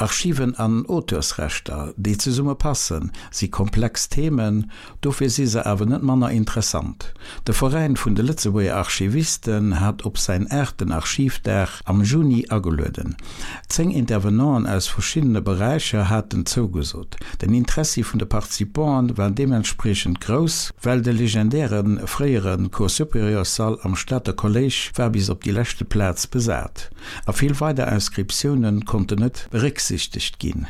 Archiven an Auteursrechter, déi zesumme passen, si komplex Themen, dofir si se awer net manner interessant. De Veräin vun de Lëtzebuerger Archivisten hat op säin aachten Archivdag am Juni agelueden. 10 Intervenanten aus verschiddene Beräicher haten zougesot. Den Interessi vun de Participanten war deementspriechend grouss, well de legendäre fréiere Cours supérieurs-Sall am Stater Kolléisch war bis op déi leschte Plaz besat a vill weider Inscriptiounen konnten net berécksichtegt ginn.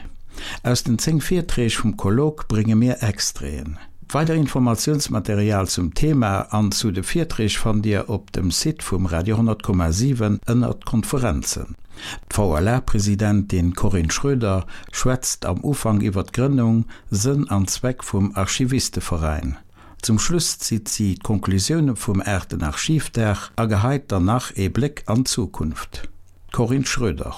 Aus den 10 Virträg vum Colloque brénge mir Extraiten. Weider Informatiounsmaterial zum Thema an zu de Virträg fannt Dir op dem Site vum Radio 10,7 ënnert Konferenzen. D'VLA-Presidentin Corinne Schroeder schwätzt am Ufank iwwer d'Grënnung, Sënn an Zweck vum Archivisteveräin. Zum Schluss zitt si d'Konklusioune vum aachten Archivdag a geheit dann nach ee Bléck an d'Zukunft. D'Corinne Schroeder.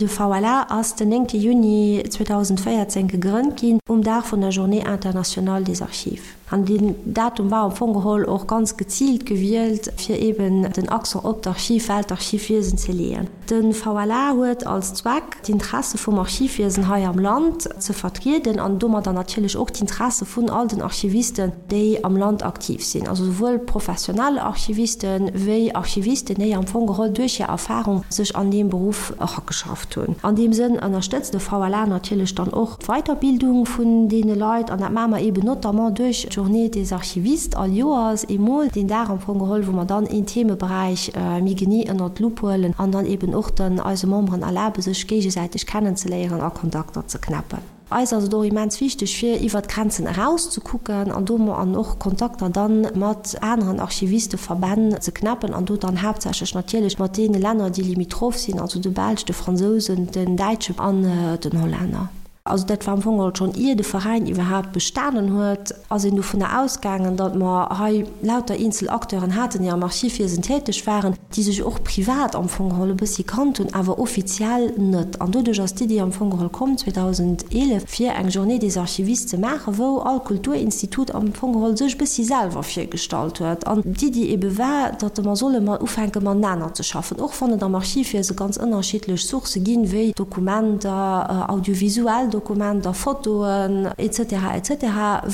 De VLA ass den 9 Juni 2014 gegrënnt ginn, um Dag vun der Journée internationale des archives. An deen Datum war am Fong geholl och ganz geziilt gewielt, fir eeben den Accent op d'Archiv, Weltarchivwiesen ze leeën. De VLA huet als Zweck, d'Interesse vum Archivwiesen hei am Land ze vertrieden an domadder natierlech och d'Interesse vun all den Archivisten, déi am Land aktiv sinn, also souwuel professionell Archivisten wéi Archivisten, déi am Fong geholl duerch hir Erfahrung sech an deem Beruff erageschafft hunn. An deem Sënn ënnerstëtzt de VLA natierlech dann och d'Weiterbildung vun deene Leit, an dat maache mer eeben notamment duerch d'Journée des archivistes all Joers eemol, deen Dag am Fong geholl, wou mer dann een Themeberäich méi genee ënnert d'Lupp huelen an dann eeben och dann eise Memberen erlabe sech géigesäiteg kennenzeléieren a Kontakter ze knäppen. Eis ass et och immens wichteg, fir iwwert d'Grenzen eraus ze kucken an do an och Kontakter dann mat aneren Archivisteverbänn ze knäppen an do dann haaptsächlech natierlech mat deene Länner, déi limitroph sinn, also de Belsch, de Fransousen, den Däitschen an den Hollänner. Also dat war am Fong geholl schonn ier de Veräin iwwerhaapt bestanen huet, ass een dovunner ausgaangen, datt mer hei lauter eenzel Acteuren haten, déi am Archivwiesen täteg waren, déi sech och privat am Fong geholl e bëssi kannt hunn, awer offiziell net. An doduerch ass d'Iddi am Fong geholl komm 2011, fir eng Journée des archivistes ze maachen, wou all Kulturinstitut am Fong geholl sech e bëssi selwer virgestallt huet. An d'Iddi ebe war, datt mer solle mat ufänke matenaner ze schaffen, och wann et am Archivwiese ganz ënnerschiddlech Sourcë ginn, wéi Dokumenter, audiovisuell Dokumenter, Fotoen, etc. Etc.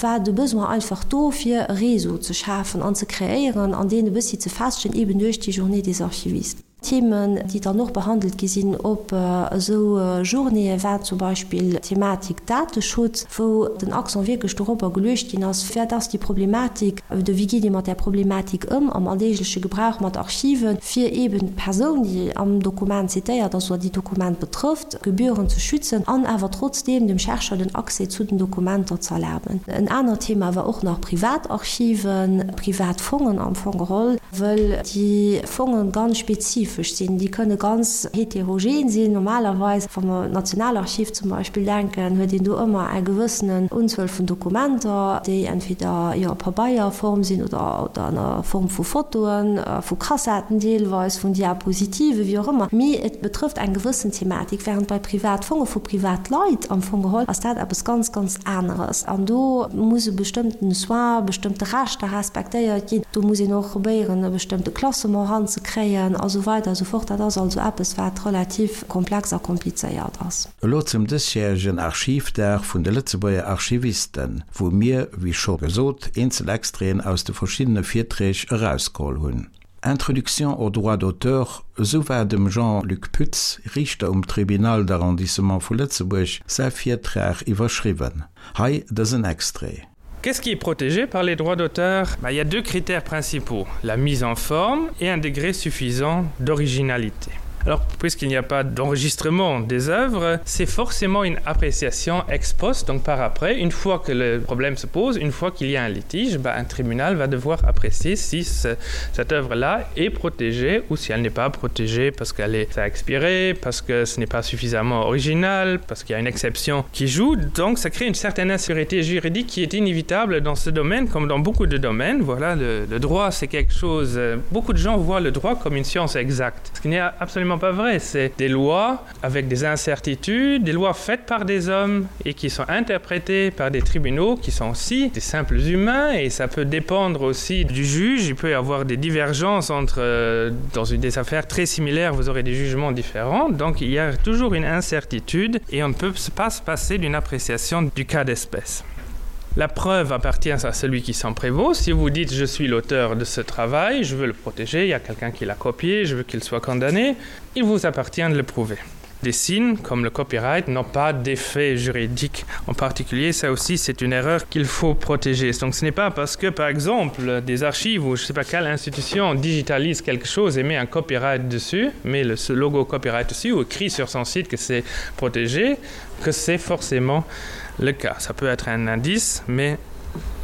War de Besoin einfach do, fir e Réseau ze schafen an ze kreéieren an deen e bëssi ze festegen, eben duerch déi Journée des archivistes. Themen, déi dann och behandelt gi sinn op esou Journéeë war zum Beispill d'Thematik Dateschutz, wou den Accent wierklech dorobber geluecht ginn ass, Wat ass déi Problematik oder wéi geet ee mat där Problematik ëm am alldeegleche Gebrauch mat Archiven, fir eben d'Persoun, déi am Dokument zitéiert ass oder déi d'Dokument betrëfft, gebührend ze schützen an awer trotzdeem dem Chercheur den Accès zu den Dokumenter ze erlaben. En anert Thema war och nach Privatarchiven, privat Fongen am Fong geholl, wëll déi Fonge ganz spezifesch sinn. Déi kënne ganz heterogen sinn. Normalerweis, wa mer un d'Nationalarchiv zum Beispill denken, huet een do ëmmer eng gewëssenen Unzuel vun Dokumenter, déi entweder, jo, a Pabeierform sinn oder an der Form vu Fotoen, vu Kassetten deelweis, vun Diapositiven, wéi och ëmmer. Mee et betrëfft eng gewëssen Thematik, während bei Privatfonge vu Privatleit am Fong geholl ass dat eppes ganz, ganz aneres. An do muss e bestëmmten Soin, bestëmmte Rechter respektéiert ginn. Do muss een och probéieren, e bestëmmte Klassement eranzekréien a sou weider a sou fort. Dat ass also eppes, wat relativ komplex a komplizéiert ass. Elo zum dësjäregen Archivdag vun de Lëtzebuerger Archivisten, wou mir, wéi scho gesot, eenzel Extraiten aus de verschiddene Virträg erausgeholl hunn. Introduction au droit d'auteur, esou war dem Jean-Luc Pütz, Riichter um Tribunal d'arrondissement vu Lëtzebuerg, säi Virtrag iwwerschriwwen. Hei dësen Extrait. Qu'est-ce qui est protégé par les droits d'auteur bah, Il y a deux critères principaux, la mise en forme et un degré suffisant d'originalité. Alors, puisqu'il n'y a pas d'enregistrement des œuvres, c'est forcément une appréciation ex post, donc par après, une fois que le problème se pose, une fois qu'il y a un litige, bah, un tribunal va devoir apprécier si ce, cette œuvre-là est protégée ou si elle n'est pas protégée parce qu'elle est a expiré, parce que ce n'est pas suffisamment original, parce qu'il y a une exception qui joue. Donc ça crée une certaine insécurité juridique qui est inévitable dans ce domaine comme dans beaucoup de domaines. Voilà, le, le droit, c'est quelque chose. Euh, beaucoup de gens voient le droit comme une science exacte, ce qui n'est absolument. absolument pas vrai. C'est des lois avec des incertitudes, des lois faites par des hommes et qui sont interprétées par des tribunaux qui sont aussi des simples humains et ça peut dépendre aussi du juge. Il peut y avoir des divergences entre euh, dans une des affaires très similaires, vous aurez des jugements différents. Donc il y a toujours une incertitude et on ne peut pas se passer d'une appréciation du cas d'espèce. La preuve appartient à celui qui s'en prévaut. Si vous dites je suis l'auteur de ce travail, je veux le protéger, il y a quelqu'un qui l'a copié, je veux qu'il soit condamné, il vous appartient de le prouver. Des signes comme le copyright n'ont pas d'effet juridique en particulier, ça aussi c'est une erreur qu'il faut protéger. Donc ce n'est pas parce que par exemple des archives ou je sais pas quelle institution digitalise quelque chose et met un copyright dessus, met le, ce logo copyright dessus ou écrit sur son site que c'est protégé, que c'est forcément le cas. Ça peut être un indice, mais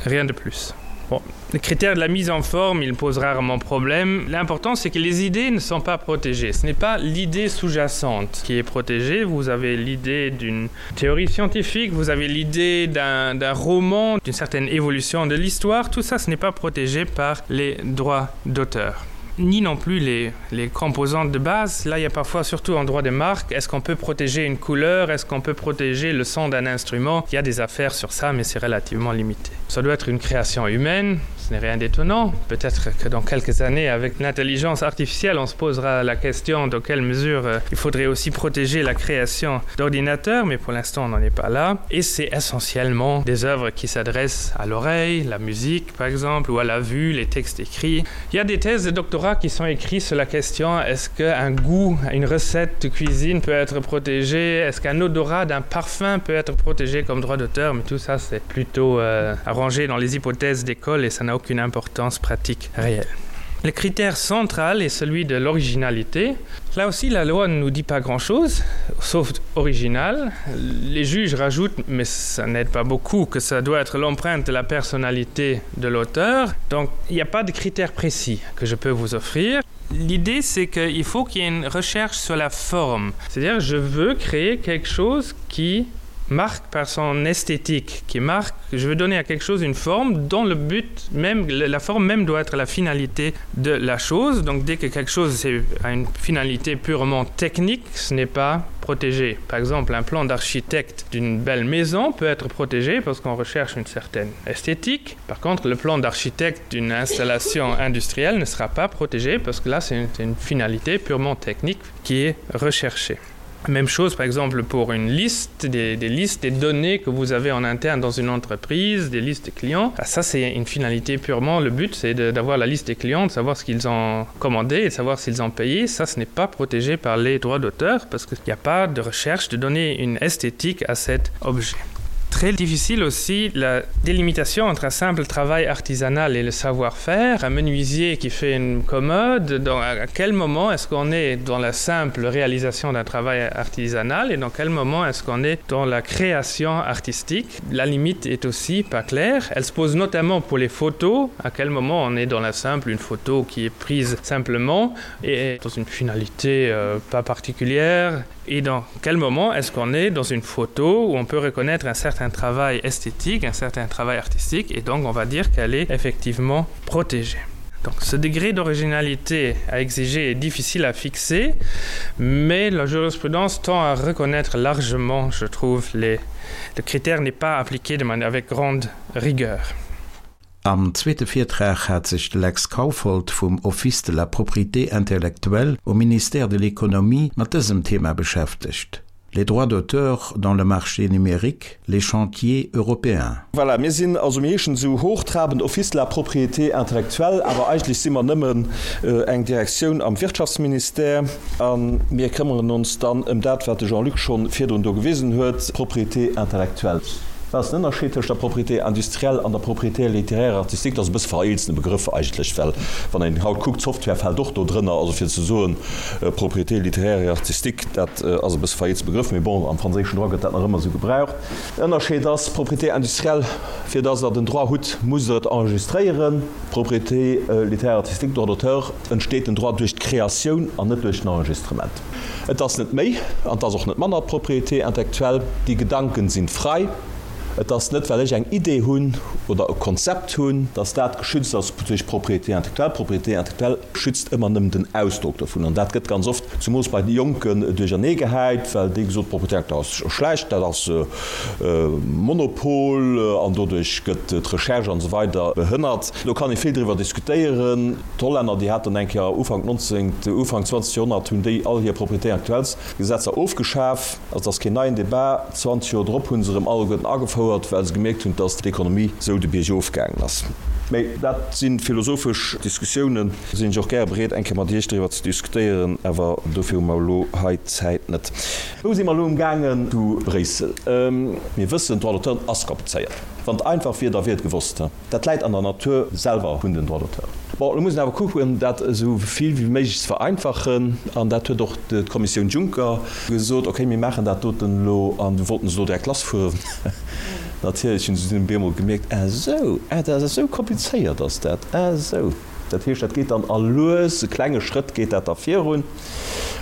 rien de plus. Bon, le critère de la mise en forme, il pose rarement problème. L'important, c'est que les idées ne sont pas protégées. Ce n'est pas l'idée sous-jacente qui est protégée. Vous avez l'idée d'une théorie scientifique, vous avez l'idée d'un roman, d'une certaine évolution de l'histoire. Tout ça, ce n'est pas protégé par les droits d'auteur ni non plus les, les composantes de base. Là, il y a parfois surtout en droit des marques, est-ce qu'on peut protéger une couleur, est-ce qu'on peut protéger le son d'un instrument Il y a des affaires sur ça, mais c'est relativement limité. Ça doit être une création humaine, ce n'est rien d'étonnant. Peut-être que dans quelques années, avec l'intelligence artificielle, on se posera la question dans quelle mesure euh, il faudrait aussi protéger la création d'ordinateurs, mais pour l'instant, on n'en est pas là. Et c'est essentiellement des œuvres qui s'adressent à l'oreille, la musique par exemple, ou à la vue, les textes écrits. Il y a des thèses de doctorat qui sont écrits sur la question est-ce qu'un goût, une recette de cuisine peut être protégée Est-ce qu'un odorat d'un parfum peut être protégé comme droit d'auteur Mais tout ça, c'est plutôt euh, arrangé dans les hypothèses d'école et ça n'a aucune importance pratique réelle. Le critère central est celui de l'originalité. Là aussi, la loi ne nous dit pas grand-chose, sauf original. Les juges rajoutent, mais ça n'aide pas beaucoup, que ça doit être l'empreinte de la personnalité de l'auteur. Donc, il n'y a pas de critère précis que je peux vous offrir. L'idée, c'est qu'il faut qu'il y ait une recherche sur la forme. C'est-à-dire, je veux créer quelque chose qui marque par son esthétique, qui marque, je veux donner à quelque chose une forme dont le but même, la forme même doit être la finalité de la chose. Donc dès que quelque chose a une finalité purement technique, ce n'est pas protégé. Par exemple, un plan d'architecte d'une belle maison peut être protégé parce qu'on recherche une certaine esthétique. Par contre, le plan d'architecte d'une installation industrielle ne sera pas protégé parce que là, c'est une, une finalité purement technique qui est recherchée. Même chose par exemple pour une liste des, des listes des données que vous avez en interne dans une entreprise, des listes de clients. Ah, ça c'est une finalité purement le but c'est d'avoir la liste des clients, de savoir ce qu'ils ont commandé et de savoir s'ils ont payé. Ça ce n'est pas protégé par les droits d'auteur parce qu'il n'y a pas de recherche de donner une esthétique à cet objet très difficile aussi la délimitation entre un simple travail artisanal et le savoir-faire, un menuisier qui fait une commode, dans, à quel moment est-ce qu'on est dans la simple réalisation d'un travail artisanal et dans quel moment est-ce qu'on est dans la création artistique La limite est aussi pas claire. Elle se pose notamment pour les photos, à quel moment on est dans la simple une photo qui est prise simplement et dans une finalité euh, pas particulière et dans quel moment est-ce qu'on est dans une photo où on peut reconnaître un certain travail esthétique, un certain travail artistique et donc on va dire qu'elle est effectivement protégée. Donc ce degré d'originalité à exiger est difficile à fixer, mais la jurisprudence tend à reconnaître largement, je trouve, les... le critère n'est pas appliqué de manière avec grande rigueur. Am zweete Virtrag hat sech de Lex Kaufhold vum Office de la propriété intellectuelle um Ministère de l'Économie mat dësem Thema beschäftegt, Les droits d'auteur dans le marché numérique, les chantiers européens. Voilà, mir sinn, also mir heeschen esou hochtrabend Office de la propriété intellectuelle, awer eigentlech si mer nëmmen eng Direktioun am Wirtschaftsministère a mir këmmeren ons dann ëm dat, wat de Jean-Luc schonn virdrun do gewisen huet, d'Propriété intellectuelle. Wat ass den Ënnerscheed tëscht der Propriété industrielle an der Propriété littéraire et artistique? Dat ass e bësse vereelzene Begrëff eigentlech, well wann een haut kuckt, d'Software fält och do drënner. Also fir ze soen, Propriété littéraire et artistique, dat ass e bësse vereelzene Begrëff, mee bon, am franséischen Droit gëtt dat nach ëmmer esou gebraucht. Ënnerscheed ass, Propriété industrielle, fir datt Der den Droit hutt, musst Der et enregistréieren. Propriété littéraire et artistique, Droit d'auteur, entsteet den Droit duerch d'Kreatioun an net duerch den Enregistrement. Et ass net méi an et ass och net manner d'Propriété intellectuelle. Die Gedanken sind frei. Et ass net, well ech eng Idee hunn oder e Konzept hunn, dass dat geschützt ass duerch Propriété intellectuelle. Propriété intellectuelle schützt ëmmer nëmmen den Ausdrock dovun. An dat gëtt ganz oft, zemoos bei de Jonken, duerchernee gehäit, well déi gesot, Propriété intellectuelle ass schlecht, dat ass Monopol an doduerch gëtt d'Recherche an esou weider behënnert. Do kann ee vill driwwer diskutéieren. D'Hollänner, déi haten eng Kéier Ufank 19., Ufank 20. Joerhonnert hunn déi all hir Propriété intellectuelles Gesetzer ofgeschaf. Also et ass keen neien Debat. 20 Joer drop hu se erëm alleguerten agefouert, well se gemierkt hunn, dass d'Ekonomie esou de Bierg ofgaangen ass. Mä dat si philosophesch Diskussiounen, do sinn ech och gäre bereet, eng Kéier mat Iech driwwer ze diskutéieren, awer dofir hu mer elo hei d'Zäit net. Wou si mer elo emgaangen zu Bréissel? Mir wëssen, Droit d'auteur ass komplizéiert. Wann et einfach wier, da wier et gewosst. Dat läit an der Natur selwer vun den Droits d'auteur. Bon, elo muss een awer kucken, dat esou vill wéi méiglech ze vereinfachen. An dat huet och d'Kommissioun Juncker gesot, Okay, mir maachen dat doten elo. An du wollten se elo direkt lassfueren. Natierlech hunn se dunn op eemol gemierkt, Ah esou, ah dat ass esou komplizéiert ass dat, ah esou. Dat heescht, dat geet dann a lues, klenge Schrëtt geet dat da virun.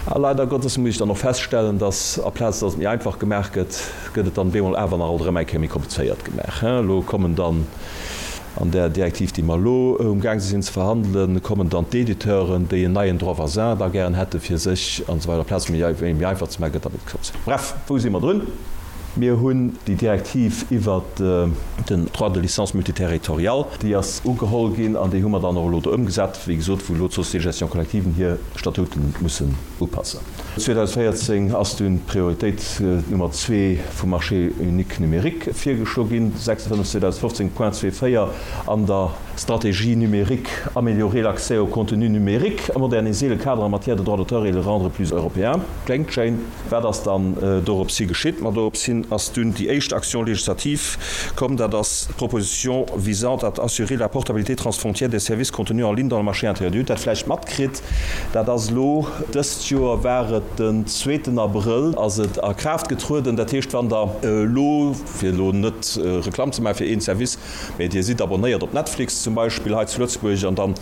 A leider Gottes muss ech dann och feststellen, dass aplaz dass et méi einfach gemaach gëtt, gëtt et dann bemol awer nach alt erëm eng Kéier méi komplizéiert gemaach. Elo kommen dann an där Direktiv, déi mer elo umgaang sinn ze verhandelen, kommen dann d'Editeuren, déi en neien Droit voisin da gären hätte fir sech an esou weider. Aplaz et méi einfach ze maachen, gëtt da méi komplizéiert. Bref, wou si mer drun? Mir hunn déi Direktiv iwwert den Droit de licence multiterritorial, déi ass ugeholl ginn an déi hu mer dann och elo do ëmgesat, wéi gesot, wou elo d'Sociétés de gestion collectiven hir Statuten mussen upassen. 2014 ass dunn d'Prioritéit Nummer zwee vum Marché unique numérique virgeschlo ginn, 56 2015 Point zwee 4 an der Stratégie numérique, améliorer l'accès au contenu numérique, moderniser le cadre en matière de droit d'auteur et le rendre plus européen. Kléngt schéin. Wat ass dann dorops hi geschitt? Ma dorops hin ass dunn déi éischt Action législative komm, dat ass d'Proposition visant à assurer la portabilité transfrontière des services contenus en ligne dans le marché intérieur. Dir hutt dat vläicht matkritt, dat ass elo dëst Joer war et den zweeten Abrëll ass et a Kraaft getrueden. Dat heescht, wann Der elo, fir elo net Reklamm ze maache fir een Service, mä Dir sidd abonnéiert op Netflix zum Beispill hei zu Lëtzebuerg an dann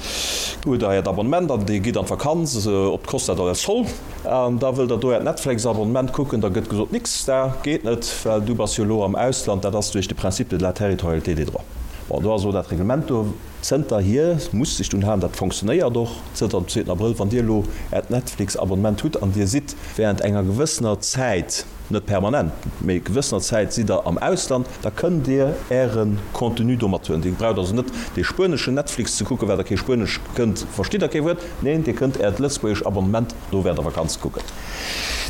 hutt Der Äert Abonnement an Dir gitt an d'Vakanz op d'Costa del Sol, An da wëllt der do äert Netflix-Abonnement kucken, da gëtt gesot, Nix da, geet net, well du bass jo elo am Ausland. Dat ass duerch de Principe de la territorialité des droits. Bon, do ass elo dat Reglement do. Zënterhier muss sech dunn halen, dat fonctionnéiert och zënter dem zweeten Abrëll, wann Dir elo äert Netflix-Abonnement hutt an Dir sidd während enger gewëssener Zäit, net permanent, mee gewëssener Zäit sidd Der am Ausland, da kënnt Dir Äre Contenu do mathuelen. Dir braucht also net dee spueneschen Netflix ze kucken, well Der kee Spuenesch kënnt, verstitt Der kee Wuert. Neen, Dir kënnt Äert lëtzebuergesch Abonnement do während der Vakanz kucken.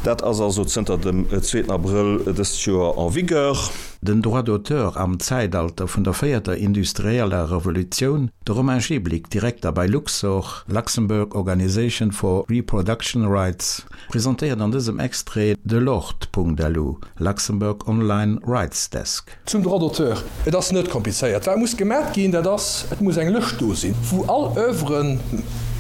Dat ass also zënter dem zweeten Abrëll dëst Joer en vigueur. Den Droit d'auteur am Zäitalter vun der véierter industrieller Revolutioun, de Romain Jeblick, Direkter bei Luxor, Luxembourg Organisation for Reproduction Rights, presentéiert an dësem Extrait de Lord.lu, Luxembourg Online Rights Desk. Zum Droit d'auteur, Et ass net komplizéiert. Wat muss gemat ginn, dat ass, et muss eng Lëscht do sinn, wou all Oeuvren,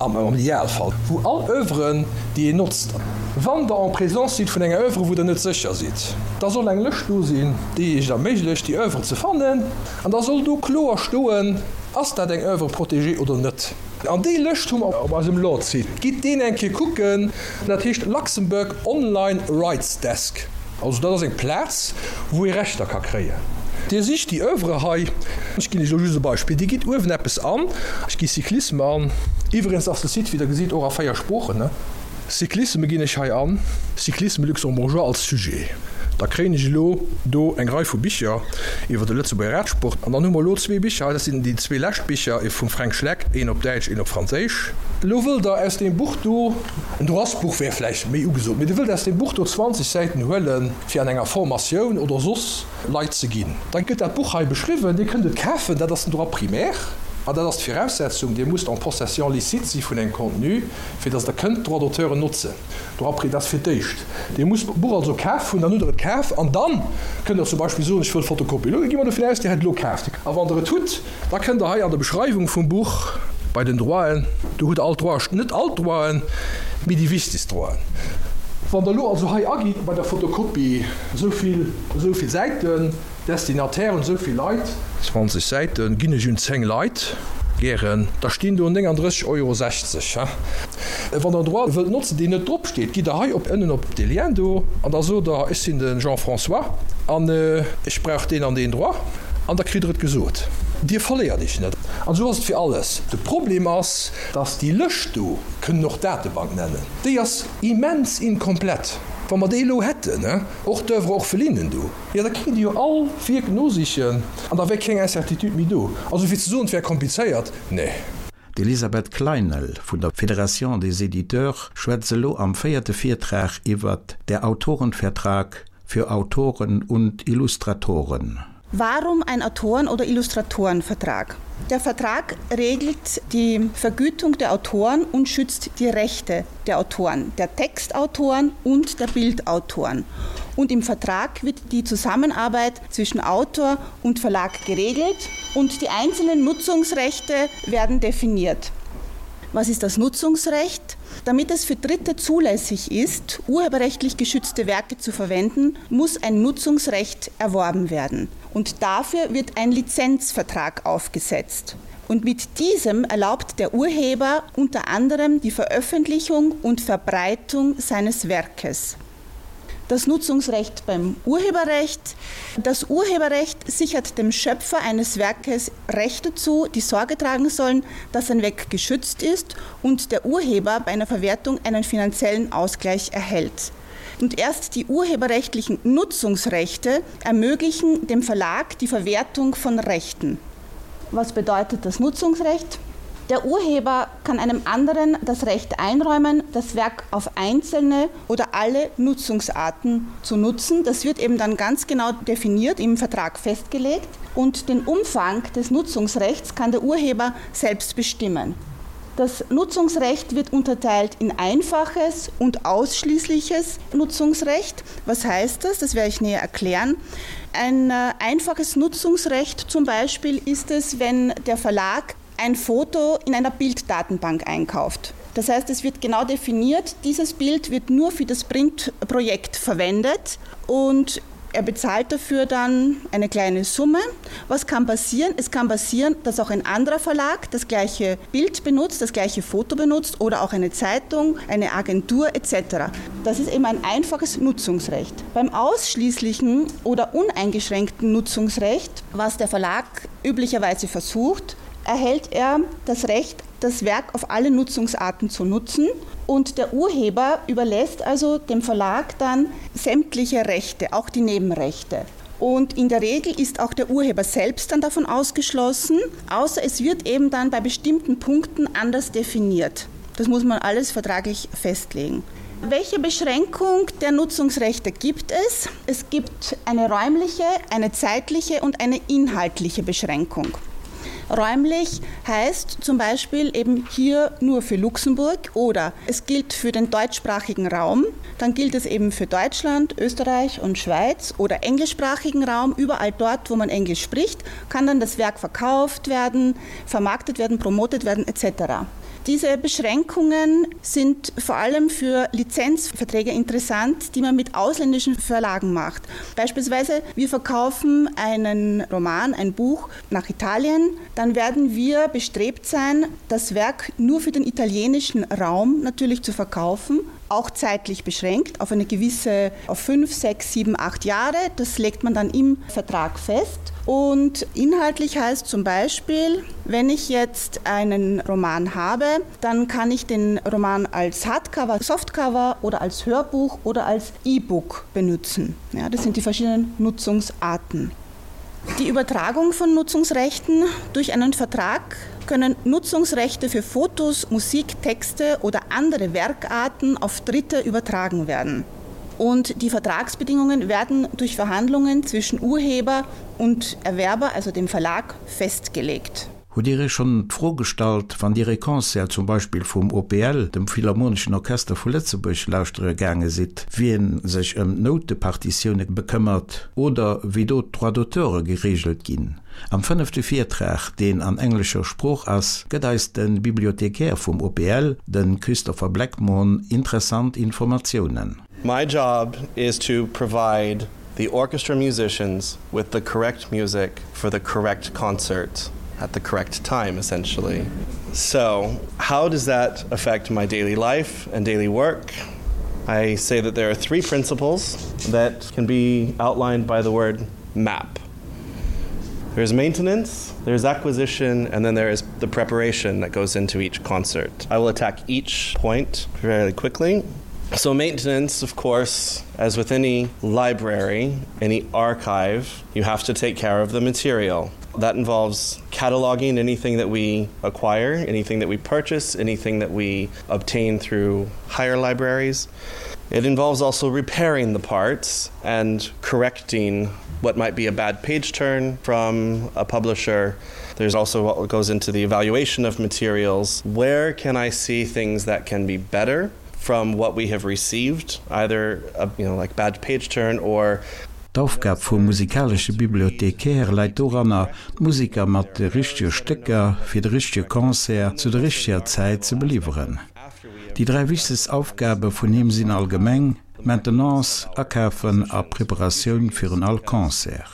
am Idealfall, wou all Oeuvren, déi een notzt, wann Der en présence sidd vun enger Oeuvre, wou Der net sécher sidd, da soll eng Lëscht do sinn, déi Iech et erméiglecht, déi Oeuvre ze fannen. An da soll do kloer stoen, Ass dat eng Oeuvre protégée oder net? An déi Lëscht hu mer op eisem Lord-Site. Gitt deen eng Kéier kucken. Dat heescht Luxembourg Online Rights Desk. Also dat ass eng Plaz, wou ee Rechter ka kréien. Dir sicht déi Oeuvre hei. Ech ginn Iech elo just e Beispill. Dir gitt uewen eppes an. Ech gi Cyclisme an. Iwwregens ass de Site, wéi Der gesitt, och a 4 Sproochen. Cyclisme ginn ech hei an, Cyclisme luxembourgeois als Sujet. Da kréien ech elo do eng Rei vu Bicher iwwer de Lëtzebuerger Radsport. An dann hu mer elo zwee Bicher hei, dat sinn déi zwee lescht Bicher, ee vum Fränk Schleck, een op Däitsch, een op Franséisch. Elo wëllt Der aus deem Buch do, en Droitsbuch wär vläicht méi ugesot, mee Dir wëllt aus deem Buch do 20 Säiten huelen, fir an enger Formatioun oder soss Leit ze ginn. Da gëtt dat Buch hei beschriwwen, Dir kënnt et kafen, dat ass den Droit primaire an dat ass d'Viraussetzung, Dir musst en possession licite si vun engem Contenu, fir dass Der kënnt d'Droits-d'auteuren notzen. Droit pri, dat ass fir d'éischt. Dir musst d'Buch also kaf hunn, dann hutt Der et kaf an dann kënnt Der zum Beispill soen, ech wëll Fotokopie. Elo gi mer dovun aus, Dir hätt et elo kaaft. A wann Der et hutt, da kënnt Der hei an der Beschreiwung vum Buch bei den Droiten, do hutt Der all d'Droiten, net all d'Droiten, mee déi wichtegst Droiten. Wann Der elo also hei agitt bei der Fotokopie esou vill, esou vill Säiten, Destinataire un esou vill Leit. 20 Säiten ginn ech un 10 Leit, gären. Da stinn do 39,60 Euro. Wann Der en Droit wëllt notzen, deen net drop steet, gitt Der hei op ënnen op dee Lien do an da sot Der, ech sinn de Jean-François an ech brauch deen an deen Droit an da kritt Der et gesot. Dir verléiert Iech net. An esou ass et fir alles. De Problem ass, dass déi Lëscht do, kënnen och Datebank nennen, déi ass immens inkomplett. Wa mer déi elo hätten, och d'Oeuvre orphelinen do, jo da kéint ee jo all Wierk nosichen an da wär keng Incertitude méi do. Also fir ze soen, et wär komplizéiert, nee. D'Elisabeth Kleinel vun der Fédération des Éditeurs schwätzt elo am véierte Virtrag iwwer Der Autorenvertrag für Autoren und Illustratoren. Warum ein Autoren- oder Illustratorenvertrag? Der Vertrag regelt die Vergütung der Autoren und schützt die Rechte der Autoren, der Textautoren und der Bildautoren. Und im Vertrag wird die Zusammenarbeit zwischen Autor und Verlag geregelt und die einzelnen Nutzungsrechte werden definiert. Was ist das Nutzungsrecht? Damit es für Dritte zulässig ist, urheberrechtlich geschützte Werke zu verwenden, muss ein Nutzungsrecht erworben werden. Und dafür wird ein Lizenzvertrag aufgesetzt. Und mit diesem erlaubt der Urheber unter anderem die Veröffentlichung und Verbreitung seines Werkes. Das Nutzungsrecht beim Urheberrecht. Das Urheberrecht sichert dem Schöpfer eines Werkes Rechte zu, die Sorge tragen sollen, dass sein Werk geschützt ist und der Urheber bei einer Verwertung einen finanziellen Ausgleich erhält. Und erst die urheberrechtlichen Nutzungsrechte ermöglichen dem Verlag die Verwertung von Rechten. Was bedeutet das Nutzungsrecht? Der Urheber kann einem anderen das Recht einräumen, das Werk auf einzelne oder alle Nutzungsarten zu nutzen. Das wird eben dann ganz genau definiert, im Vertrag festgelegt und den Umfang des Nutzungsrechts kann der Urheber selbst bestimmen. Das Nutzungsrecht wird unterteilt in einfaches und ausschließliches Nutzungsrecht. Was heißt das? Das werde ich näher erklären. Ein äh, einfaches Nutzungsrecht zum Beispiel ist es, wenn der Verlag ein Foto in einer Bilddatenbank einkauft. Das heißt, es wird genau definiert, dieses Bild wird nur für das Printprojekt verwendet und er bezahlt dafür dann eine kleine Summe. Was kann passieren? Es kann passieren, dass auch ein anderer Verlag das gleiche Bild benutzt, das gleiche Foto benutzt oder auch eine Zeitung, eine Agentur etc. Das ist eben ein einfaches Nutzungsrecht. Beim ausschließlichen oder uneingeschränkten Nutzungsrecht, was der Verlag üblicherweise versucht, erhält er das Recht, das Werk auf alle Nutzungsarten zu nutzen und der Urheber überlässt also dem Verlag dann sämtliche Rechte, auch die Nebenrechte. Und in der Regel ist auch der Urheber selbst dann davon ausgeschlossen, außer es wird eben dann bei bestimmten Punkten anders definiert. Das muss man alles vertraglich festlegen. Welche Beschränkung der Nutzungsrechte gibt es? Es gibt eine räumliche, eine zeitliche und eine inhaltliche Beschränkung. Räumlich heißt zum Beispiel eben hier nur für Luxemburg oder es gilt für den deutschsprachigen Raum, dann gilt es eben für Deutschland, Österreich und Schweiz oder englischsprachigen Raum, überall dort, wo man Englisch spricht, kann dann das Werk verkauft werden, vermarktet werden, promotet werden etc. Diese Beschränkungen sind vor allem für Lizenzverträge interessant, die man mit ausländischen Verlagen macht. Beispielsweise wir verkaufen einen Roman, ein Buch nach Italien, dann werden wir bestrebt sein, das Werk nur für den italienischen Raum natürlich zu verkaufen, auch zeitlich beschränkt auf eine gewisse auf 5, 6, 7, 8 Jahre. Das legt man dann im Vertrag fest. Und inhaltlich heißt zum Beispiel, wenn ich jetzt einen Roman habe, dann kann ich den Roman als Hardcover, Softcover oder als Hörbuch oder als E-Book benutzen. Ja, das sind die verschiedenen Nutzungsarten. Die Übertragung von Nutzungsrechten durch einen Vertrag können Nutzungsrechte für Fotos, Musik, Texte oder andere Werkarten auf Dritte übertragen werden. Und die Vertragsbedingungen werden durch Verhandlungen zwischen Urheber und Erwerber, also dem Verlag, festgelegt. Hutt Dir Iech schonn d'Fro gestallt, wann Dir ee Concert zum Beispill vum OPL, dem Philharmoneschen Orchester vu Lëtzebuerg, lauschtere gaange sidd, wien sech ëm d'Noutepartitioune bekëmmert oder wéi do d'Droits d'auteure gereegelt ginn? Am fënnefte Virtrag, deen an englescher Sprooch ass, gëtt eis de Bibliothecaire vum OPL, de Christopher Blackmon, interessant Informatiounen. My job is to provide the orchestra musicians with the correct music for the correct concert at the correct time essentially. So how does that affect my daily life and daily work? I say that there are three principles that can be outlined by the word map. There's maintenance, there's acquisition, and then there is the preparation that goes into each concert. I will attack each point fairly quickly. So maintenance, of course, as with any library, any archive, you have to take care of the material. That involves cataloging anything that we acquire, anything that we purchase, anything that we obtain through higher libraries. It involves also repairing the parts and correcting what might be a bad page turn from a publisher. There's also what goes into the evaluation of materials. Where can I see things that can be better from what we have received, either a, you know, like bad page turn or D'Aufgab vum musikalesche Bibliothecaire läit doranner, d'Museker mat de richtege Stécker fir de richtege Concert zu der richteger Zäit ze beliwweren. Déi 3 wichtegst Aufgabe vun him sinn allgemeng, Maintenance, Akafen a Preparatioun virun all Concert.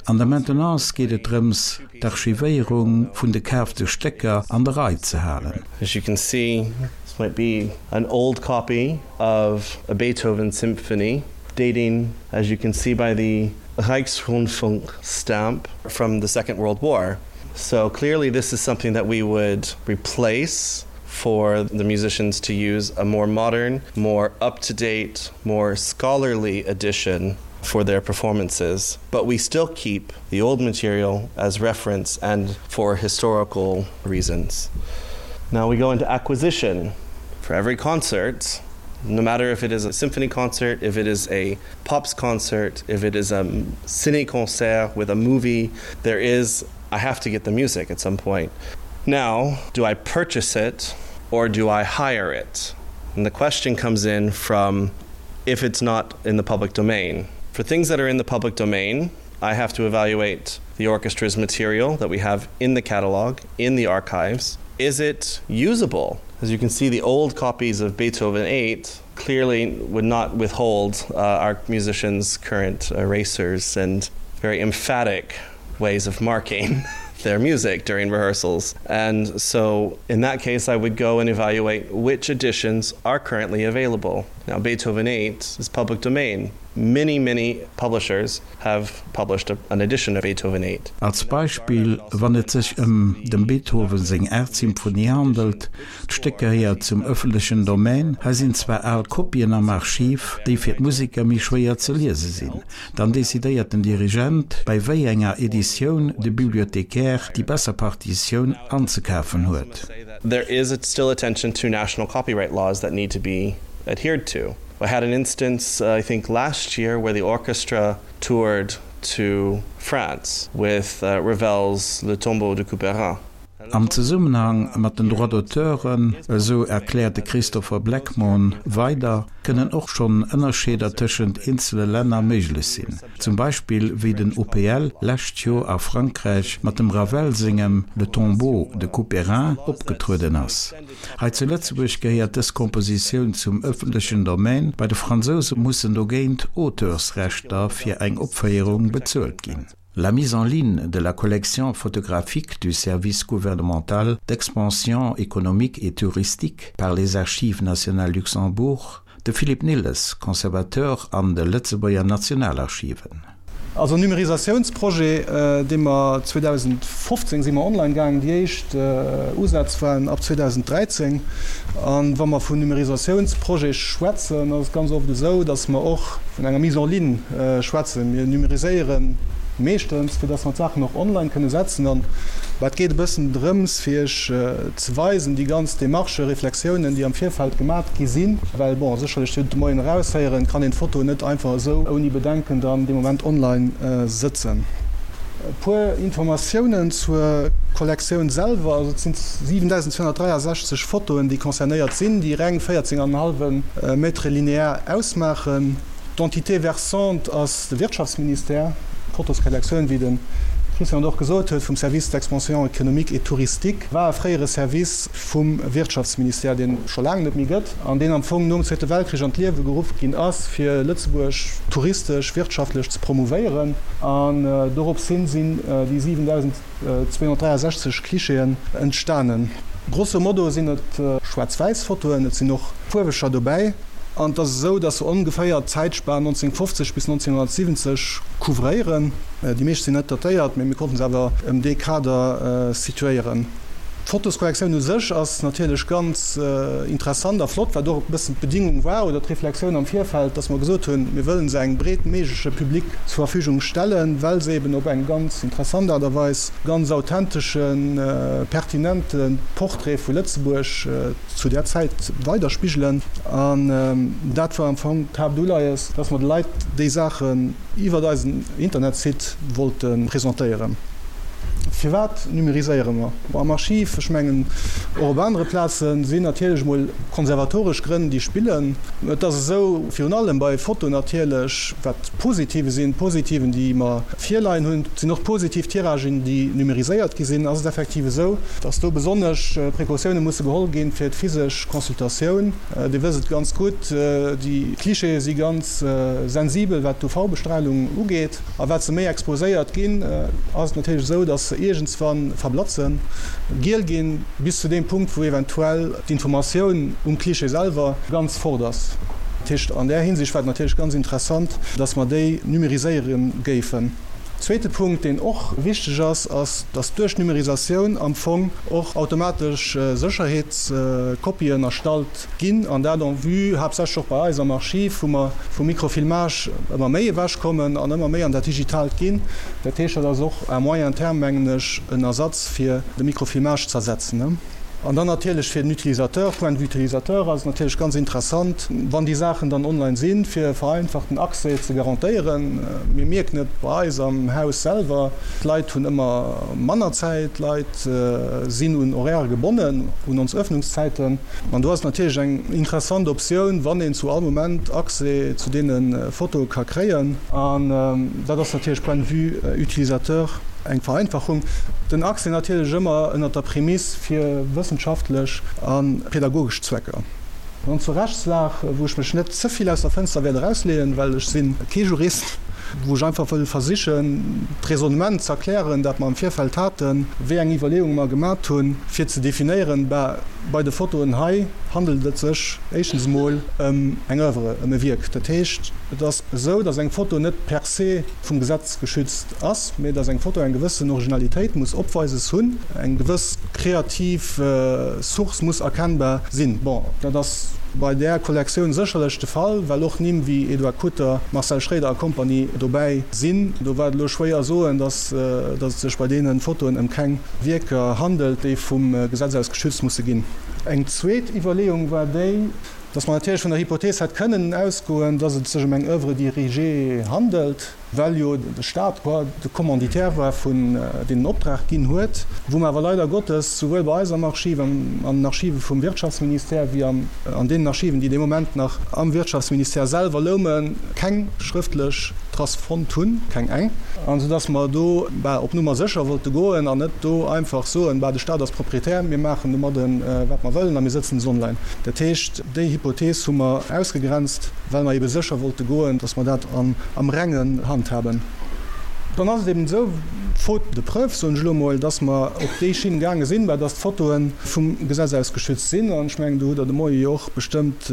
An der Maintenance geet et drëms, d'Archivéierung vun de kaafte Stécker an der Rei ze halen. As you can see, this might be an old copy of a Beethoven symphony dating, as you can see by the Reichsrundfunk stamp from the Second World War. So clearly this is something that we would replace for the musicians to use a more modern, more up-to-date, more scholarly edition for their performances. But we still keep the old material as reference and for historical reasons. Now we go into acquisition. For every concert, no matter if it is a symphony concert, if it is a pops concert, if it is a cine concert with a movie, there is I have to get the music at some point. Now, do I purchase it or do I hire it? And the question comes in from if it's not in the public domain. For things that are in the public domain, I have to evaluate the orchestra's material that we have in the catalog, in the archives. Is it usable? As you can see, the old copies of Beethoven 8 clearly would not withhold uh, our musicians' current erasers and very emphatic ways of marking their music during rehearsals. And so in that case, I would go and evaluate which editions are currently available. Now Beethoven 8 is public domain. Many, many publishers have published a, an edition of Beethoven 8. Als Beispill, wann et sech ëm dem Beethoven seng aacht Symphonie handelt, D'Stéck gehéiert zum ëffentlechen Domaine. Hei sinn zwar al Kopien am Archiv, déi fir d'Museker méi schwéier ze liese sinn. Dann decidéiert den Dirigent, bei wéi enger Editioun de Bibliothécaire déi besser Partitioun anzekafen huet. There is still attention to national copyright laws that need to be adhered to. I had an instance, uh, I think last year, where the orchestra toured to France with uh, Ravel's Le Tombeau de Couperin. Am Zesummenhang mat den Droits d'auteuren, esou erkläert de Christopher Blackmon weider, kënnen och schonn Ënnerscheeder tëschent eenzele Länner méiglech sinn. Zum Beispill wéi den OPL lescht Joer a Frankräich mat dem Ravel sengem Le Tombeau de Couperin opgetrueden ass. Hei zu Lëtzebuerg gehéiert dës Kompositioun zum ëffentlechen Domaine, bei de Fransouse mussen dogéint Auteursrechter fir eng Opféierung bezuelt ginn. La mise en ligne de la collection photographique du service gouvernemental d'expansion économique et touristique par les Archives nationales Luxembourg, de Philippe Nilles, Conservateur an de Lëtzebuerger Nationalarchiven. Also en Numérisatiounsprojet, dee mer 2015 si mer online gaangen, déi éischt Usätz waren ab 2013. A wa mer vun Numérisatiounsprojet schwätzen, ass et ganz oft esou, datt mer och vun enger Mise en ligne schwätzen. Mir numériséiere meeschtens, fir dass mer d'Saachen och online kënne setzen. An et geet e bëssen drëms, fir Iech ze weisen, déi ganz Démarchen, Reflexiounen, déi am Virfeld gemat gi sinn. Well, bon, sécherlech, Dir hutt et de Moien eraushéieren, kann een d'Foto net einfach esou ouni Bedenken dann dee Moment online sëtzen. E puer Informatiounen zur Kollektioun selwer, also et sinn 7.263 Fotoen, déi concernéiert sinn, déi reng 14 an en hallwe Mètre linéaire ausmaachen. D'Entité versante ass de Wirtschaftsministère. D'Fotoskollektioun, wéi de Christian et och gesot huet, vum Service d'expansion économique et touristique, war e fréiere Service vum Wirtschaftsministère, deen et scho laang net méi gëtt an deen am Fong nom Zweete Weltkrich an d'Liewe geruff ginn ass, fir Lëtzebuerg touristesch, wirtschaftlech ze promouvéieren. An dorops hin sinn déi 7.263 Clichéen entstanen. Grosso modo sinn et schwaarz-wäiss Fotoen, et sinn och fuerweger dobäi. An et ass esou, datt se ongeféier d'Zäitspan 1950 bis 1970 couvréieren. Déi meescht sinn net datéiert, mee mir konnten se awer ëm dee Kader situéieren. D'Fotoskollektioun u sech ass natierlech ganz interessant a flott, wat och e bëssen d'Bedingung war oder d'Reflexioun am Virfeld, dass mer gesot hunn, mir wëllen se engem breet méigleche Public zur Verfügung stellen, well se eben op eng ganz interessant Aart a Weis ganz authenteschen, pertinente Portrait vu Lëtzebuerg zu där Zäit weiderspigelen. An dat war am Fong d'Haaptuleies, dass mer de Leit déi Saachen iwwert eisen Internetsite wollte presentéieren. Firwat numeriséiere mer? Bon, am Archiv, ech mengen och op anere Plazen, sinn natierlech emol konservatoresch Grënn, déi spillen. Et ass esou, virun allem bei Foto natierlech, wat d'Positive sinn, d'Positiven, déi mer virleien hunn, et sinn och positiv Tiragen, déi numeriséiert gi sinn, ass et effektiv esou, dass do besonnesch Precautioune musse geholl ginn fir d'physesch Consultatioun. Dir wësst et ganz gutt, déi Clichéë si ganz sensibel, wat d'UV-Bestralung ugeet. A wat se méi exposéiert ginn, ass et natierlech esou, dass se iergendswann verblatzen, giel ginn, bis zu deem Punkt, wou eventuell d'Informatioun um Cliché selwer ganz fort ass. Dat heescht, an där Hinsicht war et natierlech ganz interessant, dass mer déi numeriséiere géifen. Zweete Punkt, deen och wichteg ass, ass, dass duerch d'Numerisatioun am Fong och automatesch Sécherheetskopien erstallt Ginn, an dat en vue haaptsächlech och bei eis am Archiv, wou mer vum Microfilmage ëmmer méi ewechkommen an ëmmer méi an dat Digitaalt ginn. Dat heescht, dat ass och à moyen terme, mengen ech, en Ersatz fir de Microfilmage ze ersetzen. An dann natierlech fir den Utilisateur, Point de vue Utilisateur ass et natierlech ganz interessant, wann déi Saachen dann online sinn, fir e vereinfachten Accès ze garantéieren. Mir mierken et bei eis am Haus selwer, d'Leit hunn ëmmer manner Zäit, d'Leit sinn un Horairë gebonnen, un ons Öffnungszäiten. An do ass et natierlech eng interessant Optioun, wann een zu all Moment Accès zu deene Fotoe ka kréien. An dat ass natierlech point de vue utilisateur eng Vereinfachung. Den Accès natierlech ëmmer ënnert der Prämiss fir wëssenschaftlech a pedagogesch Zwecker. Dann zur Rechtslag, wou ech mech net ze vill aus der Fënster wäert erausleeën, well ech si kee Jurist, wou ech einfach wëll versichen, d'Raisonnement ze erklären, dat mer am Virfeld haten, wéi eng Iwwerleeunge mer gemat hunn, fir ze definéieren, bah, bei de Fotoen hei handelt et sech éischtens emol ëm eng Oeuvre, ëm e Wierk. Dat heescht, et ass esou, datt eng Foto net per se vum Gesetz geschützt ass, mee datt eng Foto eng gewëssen Originalitéit muss opweises hunn, eng gewëss kreativ Source muss erkennbar sinn. Bon, dat ass bei där Kollektioun sécherlech de Fall, well och Nimm wéi Edouard Kutter, Marcel Schroeder a Kompanie dobäi sinn. Do war et elo schwéier soen, datt et sech bei deene Fotoen ëm keng Wierker handelt, déi vum Gesetz aus geschützt musse ginn. Eng zweet Iwwerleeung war déi, datt mer natierlech vun der Hypothees hätt kënnen ausgoen, datt et sech ëm eng Oeuvre dirigée handelt, well jo de Staat qua de Commanditaire war vun deen den Optrag ginn huet, wou mer awer leider Gottes souwuel bei eis am Archiv, an den Archive vum Wirtschaftsministère wéi an deenen Archiven, déi dee Moment nach am Wirtschaftsministère selwer loumen, keng schrëftlech Trace fonnt hunn, keng eng, an esou dass mer do bah op Nummer sécher wollte goen an net do einfach soen, bah de Staat ass Proprietär, mir maachen domadden wat mer wëllen a mir sëtzen se online. Dat heescht, déi Hypothees hu mer ausgegrenzt, well mer ebe sécher wollte goen, dass mer dat an am Rengen handhaben. Dann ass et eben esou, faute de preuve, soen ech elo emol, dass mer op déi Schinn gaange sinn, bah, dass d'Fotoe vum Gesetz aus geschützt sinn. An ech mengen, do hutt Der de Moie jo och bestëmmt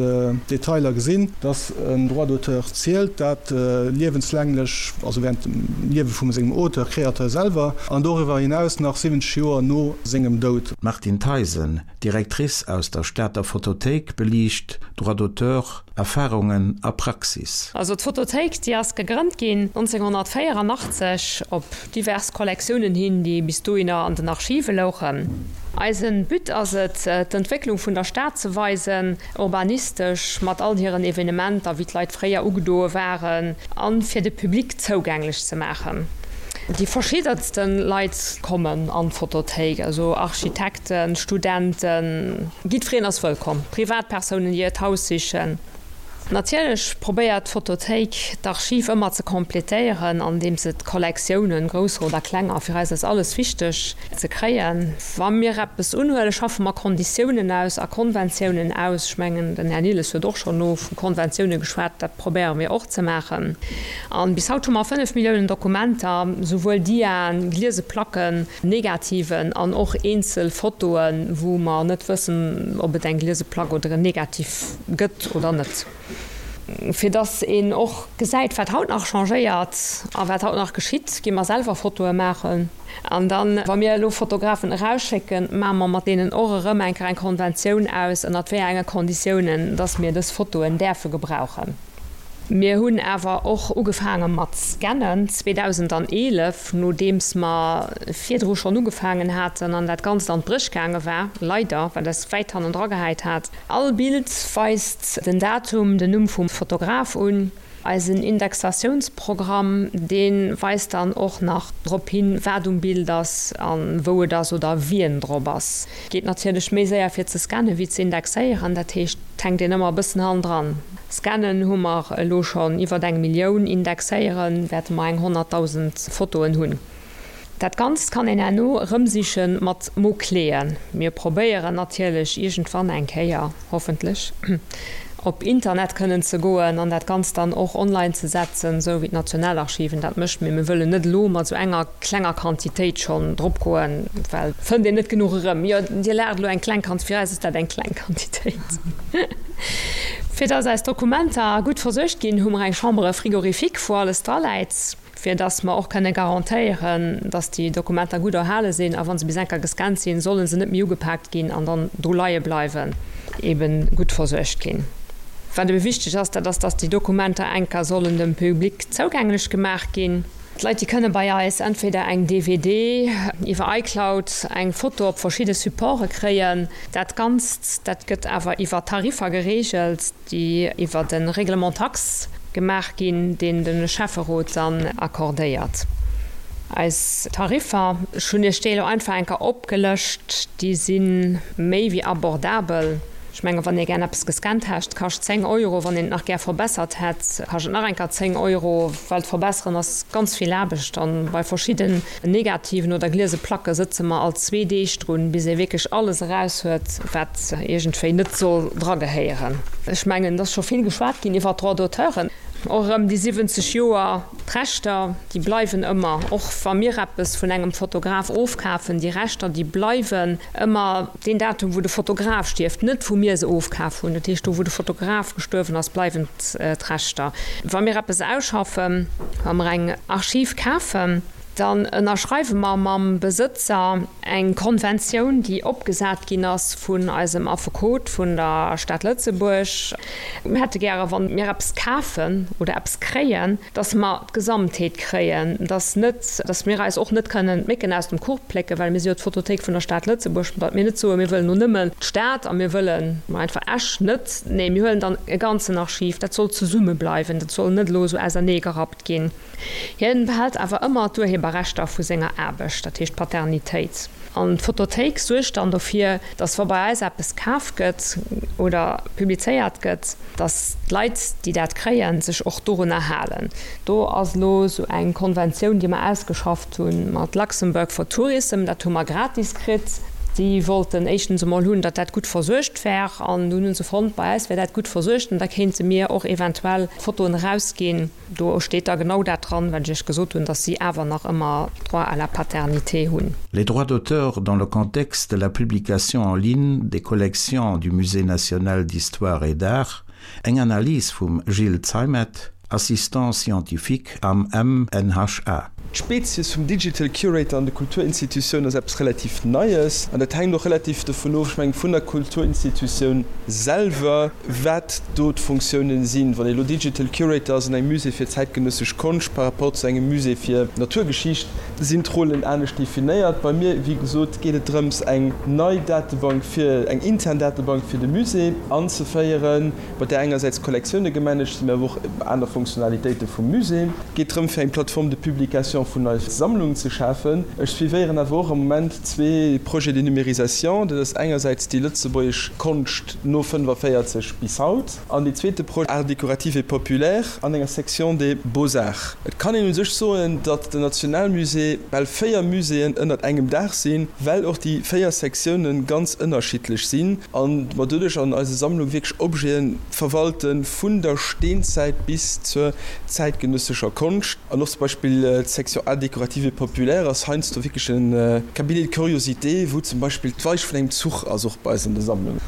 Detailer gesinn, dass en Droit d'auteur zielt, dat liewenslänglech, also während dem Liewe vum sengem Auteur, Créateur selwer, an doriwwer hinaus nach 70 Joer no sengem Doud. D'Martine Theisen, Directrice aus der Stater Fotothéik, beliicht Droit d'auteur, Erfarungen a Praxis. Also d'Fotothéik, déi ass gegrënnt ginn 1984 op divers Kollektiounen hin, déi bis dohinner an den Archive louchen. Eise But ass et, d'Entwécklung vun der Stad ze weisen, urbanistesch, mat all hiren Evenementer, wéi d'Leit fréier ugedoe waren, a fir de Public zougänglech ze maachen. Déi verschiddenste Leit kommen an d'Fotothéik, also Architekten, Studenten, jiddwereen ass wëllkomm, Privatpersounen, déi hiert Haus sichen. Natierlech probéiert d'Fotothéik d'Archiv ëmmer ze completéieren, andeems se d'Kollektiounen, grousser oder klenger, fir eis ass alles wichteg, ze kréien. Wa mir eppes unhuelen, schaffe mer Konditiounen aus a Konventiounen aus. Ech mengen, den Här Nilles huet och schonn elo vu Konventioune geschwat. Dat probéiere mir och ze maachen. A bis haut hu mer 5 Milliounen Dokumenter, souwuel Diaen, gliese Placken, Negativen an och eenzel Fotoen, wou mer net wëssen, ob et eng gliese Plack oder en Negativ gëtt oder net. Fir dass een och gesäit, wat haut nach changéiert a wat haut nach geschitt, gi mer selwer Fotoe maachen. An dann, wa mir elo Fotografen erausschécken, maache mer mat deenen och erëm eng Kéier eng Konventioun aus, ënnert wéi enge Konditiounen dass mir dës Fotoen däerfe gebrauchen. Mir hunn awer och ugefaange mat scannen 2011, nodeems mer virdru schonn ugefaangen haten an dat Ganzt an d'Bréch gaange war, leider, wat eis wäit hannendra gehäit hat. All Bild weist den Datum, den Numm vum Fotograf un. Eisen Indexatiounsprogramm, dee weist dann och nach drop hin, wat um Bild ass a wou et ass oder wien drop ass. Geet natierlech méi séier fir ze scannen wéi ze indexéieren, dat heescht et hänkt een ëmmer e bëssen hannendran. Scannen hu mer elo schonn iwwert eng Millioun, indexéiere wäerte mer eng 100.000 Fotoen hunn. Dat Ganzt kann een herno erëmsiche mat Mot-cléen. Mir probéieren natierlech iergendwann eng Kéier, hoffentlech, op Internet kënnen ze goen an dat Ganzt dann och online ze setzen, esou wéi d'Nationalarchiven dat mécht. Mee mir wëllen net elo mat esou enger klenger Quantitéit schonn drop goen, well et fënnt een net genuch erëm. Jo, Dir laacht elo, eng kleng Quantitéit, fir eis ass dat eng kleng Quantitéit. Fir dass eis Dokumenter gutt versuergt ginn, hu mer eng Chambre frigorifique, wou alles dra läit. fir dass mer och kënne garantéieren, dass déi Dokumenter gutt erhale sinn a wa se bis enker gescannt sinn, solle se net méi ugepaakt ginn an dann do leie bleiwen, eebe gutt versuergt ginn. Wat ebe wichteg ass, dat ass, dass déi Dokumenter enker sollen dem Public zougänglech gemaach ginn. D'Leit, déi kënne bei eis entweder eng DVD, iwwer iCloud eng Foto op verschidde Supporte kréien. Dat Ganzt, dat gëtt awer iwwer Tariffer gereegelt. déi iwwert e Règlement taxe gemaach ginn, deen de Schäfferot dann accordéiert. Eis Tariffer, ech hunn Iech déi elo einfach eng Kéier opgelëscht, déi si méi wéi abordabel. Ech mengen, wann ee gär eppes gescannt hätt, kascht 10 Euro, wann een et nach gär verbessert hätt, kascht et nach eng Kéier 10 Euro, well d'Verbesseren ass ganz vill Aarbecht an bei verschidden Negativen oder gliese Placke sëtze mer alt zwee Deeg drun, bis ee wierklech alles eraus huet, wat iergendwéi net soll dragehéieren. Ech mengen, et ass scho vill geschwat ginn iwwert d'Droits d'auteuren. Och erëm déi 70 Joer, d'Rechter, déi bleiwen ëmmer. Och wa mir eppes vun engem Fotograf ofkafen, déi Rechter, déi bleiwen ëmmer. Deen Datum, wou de Fotograf stierft, net wou mir se ofkaf hunn, dat heescht do, wou de Fotograf gestuerwen ass, bleiwen d'Rechter. Wa mir eppes ausschaffen, wa mer eng Archiv kafen, dann ënnerschreiwe mer mam Besëtzer eng Konventioun, déi opgesat ginn ass vun eisem Affekot vun der Stad Lëtzebuerg. Mir hätte gäre, wa mir eppes kafen oder eppes kréien, dass mer d'Gesamtheet kréien, dass net, dass mir eis och net kënnen d'Mécken aus dem Kuch plécken, well mir si jo d'Fotothéik vun der Stad Lëtzebuerg, datt mir net soen, mir wëllen elo nëmmen d'Stad a mir wëllen einfach Esch net. Nee, mir huelen dann e ganzen Archiv. Dat soll zesumme bleiwen, dat soll net elo esou auserneegerappt ginn. Hien behält awer ëmmer d'Urheberrechter vu senger Aarbecht, dat heescht d'Paternitéit. An d'Fotothéik suergt dann dofir, datt wa bei eis eppes kaf gëtt oder publizéiert gëtt, datt d'Leit, déi dat kréien, sech och dorunner halen. Do ass elo esou eng Konventioun, déi mer ausgeschafft hu mat Luxembourg for Tourism, dat hu mer gratis kritt. Déi wollten éischtens emol hunn, datt dat gutt versuergt wär an dunn hu se fonnt, bei eis wär dat gutt versuergt an da kéinte mir och eventuell Fotoen erausginn. Do steet da genau dat dran, wat ech Iech gesot hunn, dass si awer nach ëmmer Droit à la paternité hunn. Les droits d'auteur dans le contexte de la publication en ligne des collections du Musée national d'histoire et d'art, eng Analys vum Gilles Zeimet, Assistant scientifique am MNHA. D'Spezies vum Digital Curator an de Kulturinstitutiounen ass eppes relativ Neies an dat hänkt och relativ dovun of, ech mengen, vun der Kulturinstitutioun selwer, wat do d'Fonctiounen sinn. Wann ee elo Digital Curator ass an engem Musée fir zäitgenëssesch Konscht par rapport zu engem Musée fir Naturgeschicht, sinn d'Rollen anescht definéiert. Bei mir, wéi gesot, geet et drëms, eng nei Datebank fir, eng intern Datebank fir de Musée anzeféieren, bei där engersäits d'Kollektioune gemanagt sinn, mä awer och aner Fonctionnalitéite vum Musée. Et geet drëm, fir eng Plateforme de publication. Numérisation vun eis Sammlung ze schafen. Ech suivéieren awer och am Moment zwee Projets de numérisation. Dat ass engersäits déi lëtzebuergesch Konscht no 45 bis haut an dee zweete Projet Arts décoratifs et populaires an enger Section des Beaux-Arts. Et kann een u sech soen, datt den Nationalmusée bal véier Muséeën ënnert engem Daach sinn, well och déi véier Sektiounen ganz ënnerschiddlech sinn a mer doduerch an eise Sammlung wierklech Objete verwalte vun der Steenzäit bis zur zäitgenëssescher Konscht. An och zum Beispill d'Section Arts décoratifs et populaires ass heiansdo wierklech e Cabinet de curiosités, wou zum Beispill d'Weich vun engem Zuch ass, och bei eis an de Sammlungen.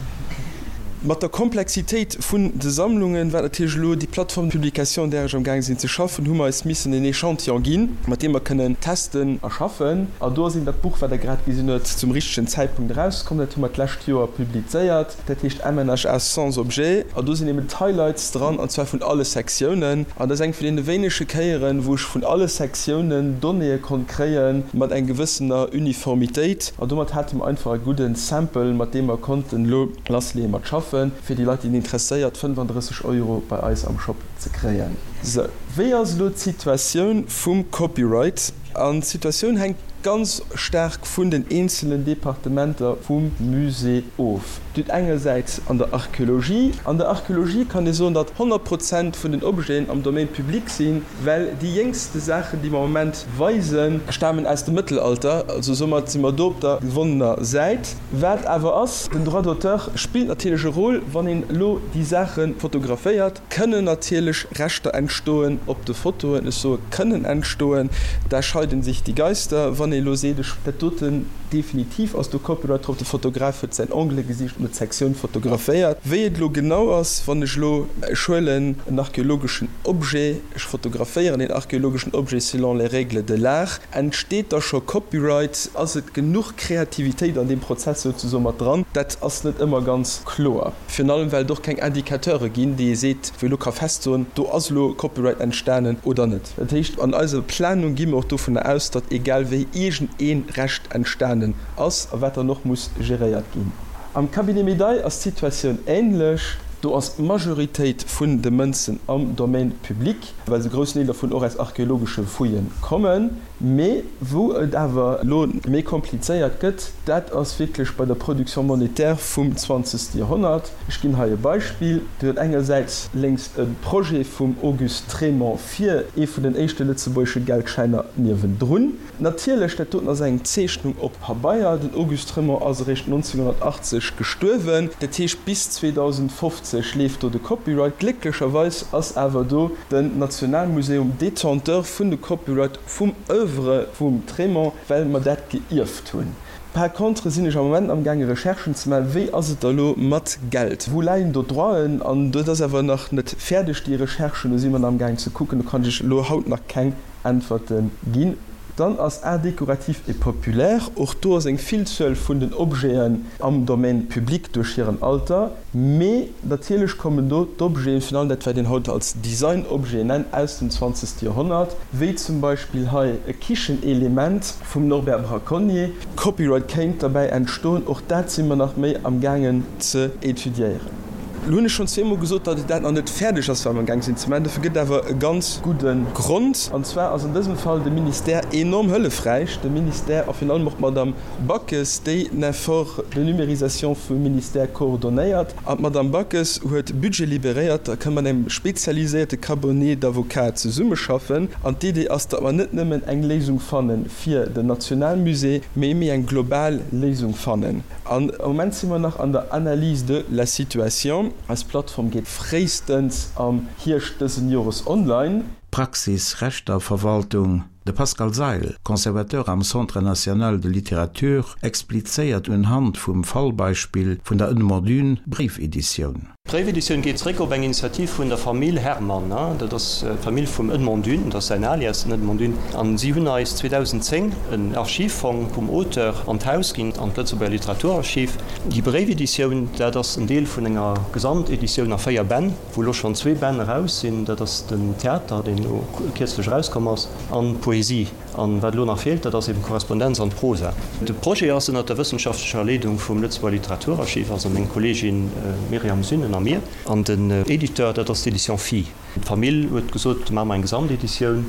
Mat der Komplexitéit vun de Sammlungen, wat natierlech elo déi Plateforme de publication, un där ech am gaang sinn ze schaffen, hu mer eis missen en Echantillon ginn, mat deem mer kënnen testen a schaffen. A do ass eben dat Buch, wat Der grad gesinn huet, zum richtegen Zäitpunkt erauskomm. Dat hu mer d'lescht Joer publizéiert. Dat heescht MNHA sans objet. An do sinn eben d'Highlights dran, an zwar vun alle Sektiounen. An dat ass eng vun deene wéinege Kéieren, wou ech vun alle Sektiounen Donnéeë konnt kréie mat eng gewëssener Uniformitéit. An domat hate mer einfach e gudde Sample, mat deem mer konnten elo lassleeë mat schaffen, fir déi Leit, déi et interesséiert, 35 Euro bei eis am Shop ze kréien. Sou, wéi ass elo d'Situatioun vum Copyright? An d'Situatioun hänkt ganz staark vun den eenzelen Departementer vum Musée of. Dir hutt engersäits an der Archeologie, an der Archeologie kann ee soen, datt 100 Prozent vun den Objeten am Domaine public sinn, well déi jéngste Saachen, déi mer am Moment weisen, stamen aus dem Mëttelalter, also soumat si mer do op der gewonnener Säit. Wat awer ass, den Droit d'auteur spillt natierlech e Rôle, wann een elo déi Saache fotograféiert. Kënnen natierlech Rechter entstoen op de Fotoen, ech soe kënnen entstoen, da scheiden sich die Geister, wann ee elo seet, ech dat doten definitiv ass do Copyright drop, de Fotograf huet säin Angle gesicht an huet d'Sektioun fotograféiert. Wéi et elo genau ass, wann ech elo, ech huelen en archeologeschen Objet, ech fotograféieren deen archeologeschen Objet selon les règles de l'art, entsteet da scho Copyright, ass et genuch Kreativitéit an deem Prozess souzesoe mat dran, dat ass net ëmmer ganz kloer. Virun allem well et och keng Indicateure ginn, déi ee seet, wou ee lo ka festsoen, do ass elo Copyright entstanen oder net. Dat heescht, an eiser Planung gi mer och dovunner aus, datt egal wéi iergend ee Recht entstanen ass a wat dann och muss geréiert ginn. Am Cabinet Médaille ass d'Situatioun änlech. Do ass d'Majoritéit vun de Mënzen am Domaine public, well se groussen Deel dervun och aus archeologesche Fouillë kommen. Mee wou et awer elo méi komplizéiert gëtt, dat ass wierklech bei der Production monétaire vum zwanzegste Joerhonnert. Ech ginn hei e Beispill. Dir hutt engersäits lénks e Projet vum Auguste Trémont fir ee vun den éischte lëtzebuergesche Geldschäiner niewendrun. Natierlech, dat doten ass eng Zeechnung op Pabeier. Den Auguste Trémont ass eréischt 1980 gestuerwen. Dat heescht, bis 2050 leeft do de Copyright. Glécklecherweis ass awer do den Nationalmuseum Détenteur vun de Copyright vum Oeuvre vum Trémont, well mer dat geierft hunn. Par contre sinn ech am Moment amgaange Recherchen ze maachen, wéi ass et da lo mat Geld, wou läien do d'Droiten? An dat ass awer nach net fäerdeg, déi Recherchen, do si mer nach amgaangen ze kucken, do kann ech elo haut nach keng Äntwerte ginn. Dann ass Arts décoratifs et populaires, och do ass eng Villzuel vun den Objeten am Domaine public duerch hiren Alter, mee natierlech kommen do d'Objeten, virun allem dat wat een haut als Designobjeten nennt, aus dem zwanzegste Joerhonnert, wéi zum Beispill hei e Kichenelement vum Norbert Braconnier. Copyright kéint derbäi entstoen, och dat si mer nach méi am gaangen ze étudiéieren. Lo hunn ech schonn zweemol gesot, datt dat nach net fäerdeg ass, wat mer amgaang sinn ze maachen. Dofir gëtt et awer e ganz gudde Grond. An zwar ass an dësem Fall de Ministère enorm hëllefräich, de Ministère a virun allem och d'Madame Backes, déi den Effort de numérisation vum Ministère coordonnéiert. An d'Madame Backes huet Budget libéréiert, da kënne mer mat engem spezialiséierte Cabinet d'avocats zesummeschaffen. An d'Idee ass, datt mer net nëmmen eng Léisung fanne fir den Nationalmusée, mee méi eng global Léisung fannen. An am Moment si mer nach an der Analyse de la situation. Eis Plattform geet fréistens am Hierscht dësen Jores online. Praxis Rechterverwaltung, De Pascal Seil, Conservateur am Centre national de littérature, explizéiert unhand vum Fallbeispill vun der Edmond Dune Bréifeditioun. D'Bréifeditioun geet zeréck op eng Initiativ vun der Famill Herrmann. Dat ass d'Famill vum Edmond Dune, dat ass säin Alias, den Edmond Dune. An si hunn eis 2010 en Archivfong vum Auteur an d'Haus ginn, an d'Lëtzebuerger Literaturarchiv. Déi Bréifeditioun, dat ass en Deel vun enger Gesamteditioun a 4 Bänn, wou elo schonn zwee Bänn eraus sinn. Dat ass den Theater, deen elo kierzlech erauskomm ass, an d'Poesie. An wat elo nach feelt, dat ass eben d'Korrespondenz an d'Prosa. De Projet ass ënnert der wëssenschaftlecher Leedung vum Lëtzebuerger Literaturarchiv, also meng Kolleegin Myriam Sünnen a mir. An den Editeur, dat ass d'Éditions Phi. D'Famill huet gesot, maache mer eng Gesamteditioun.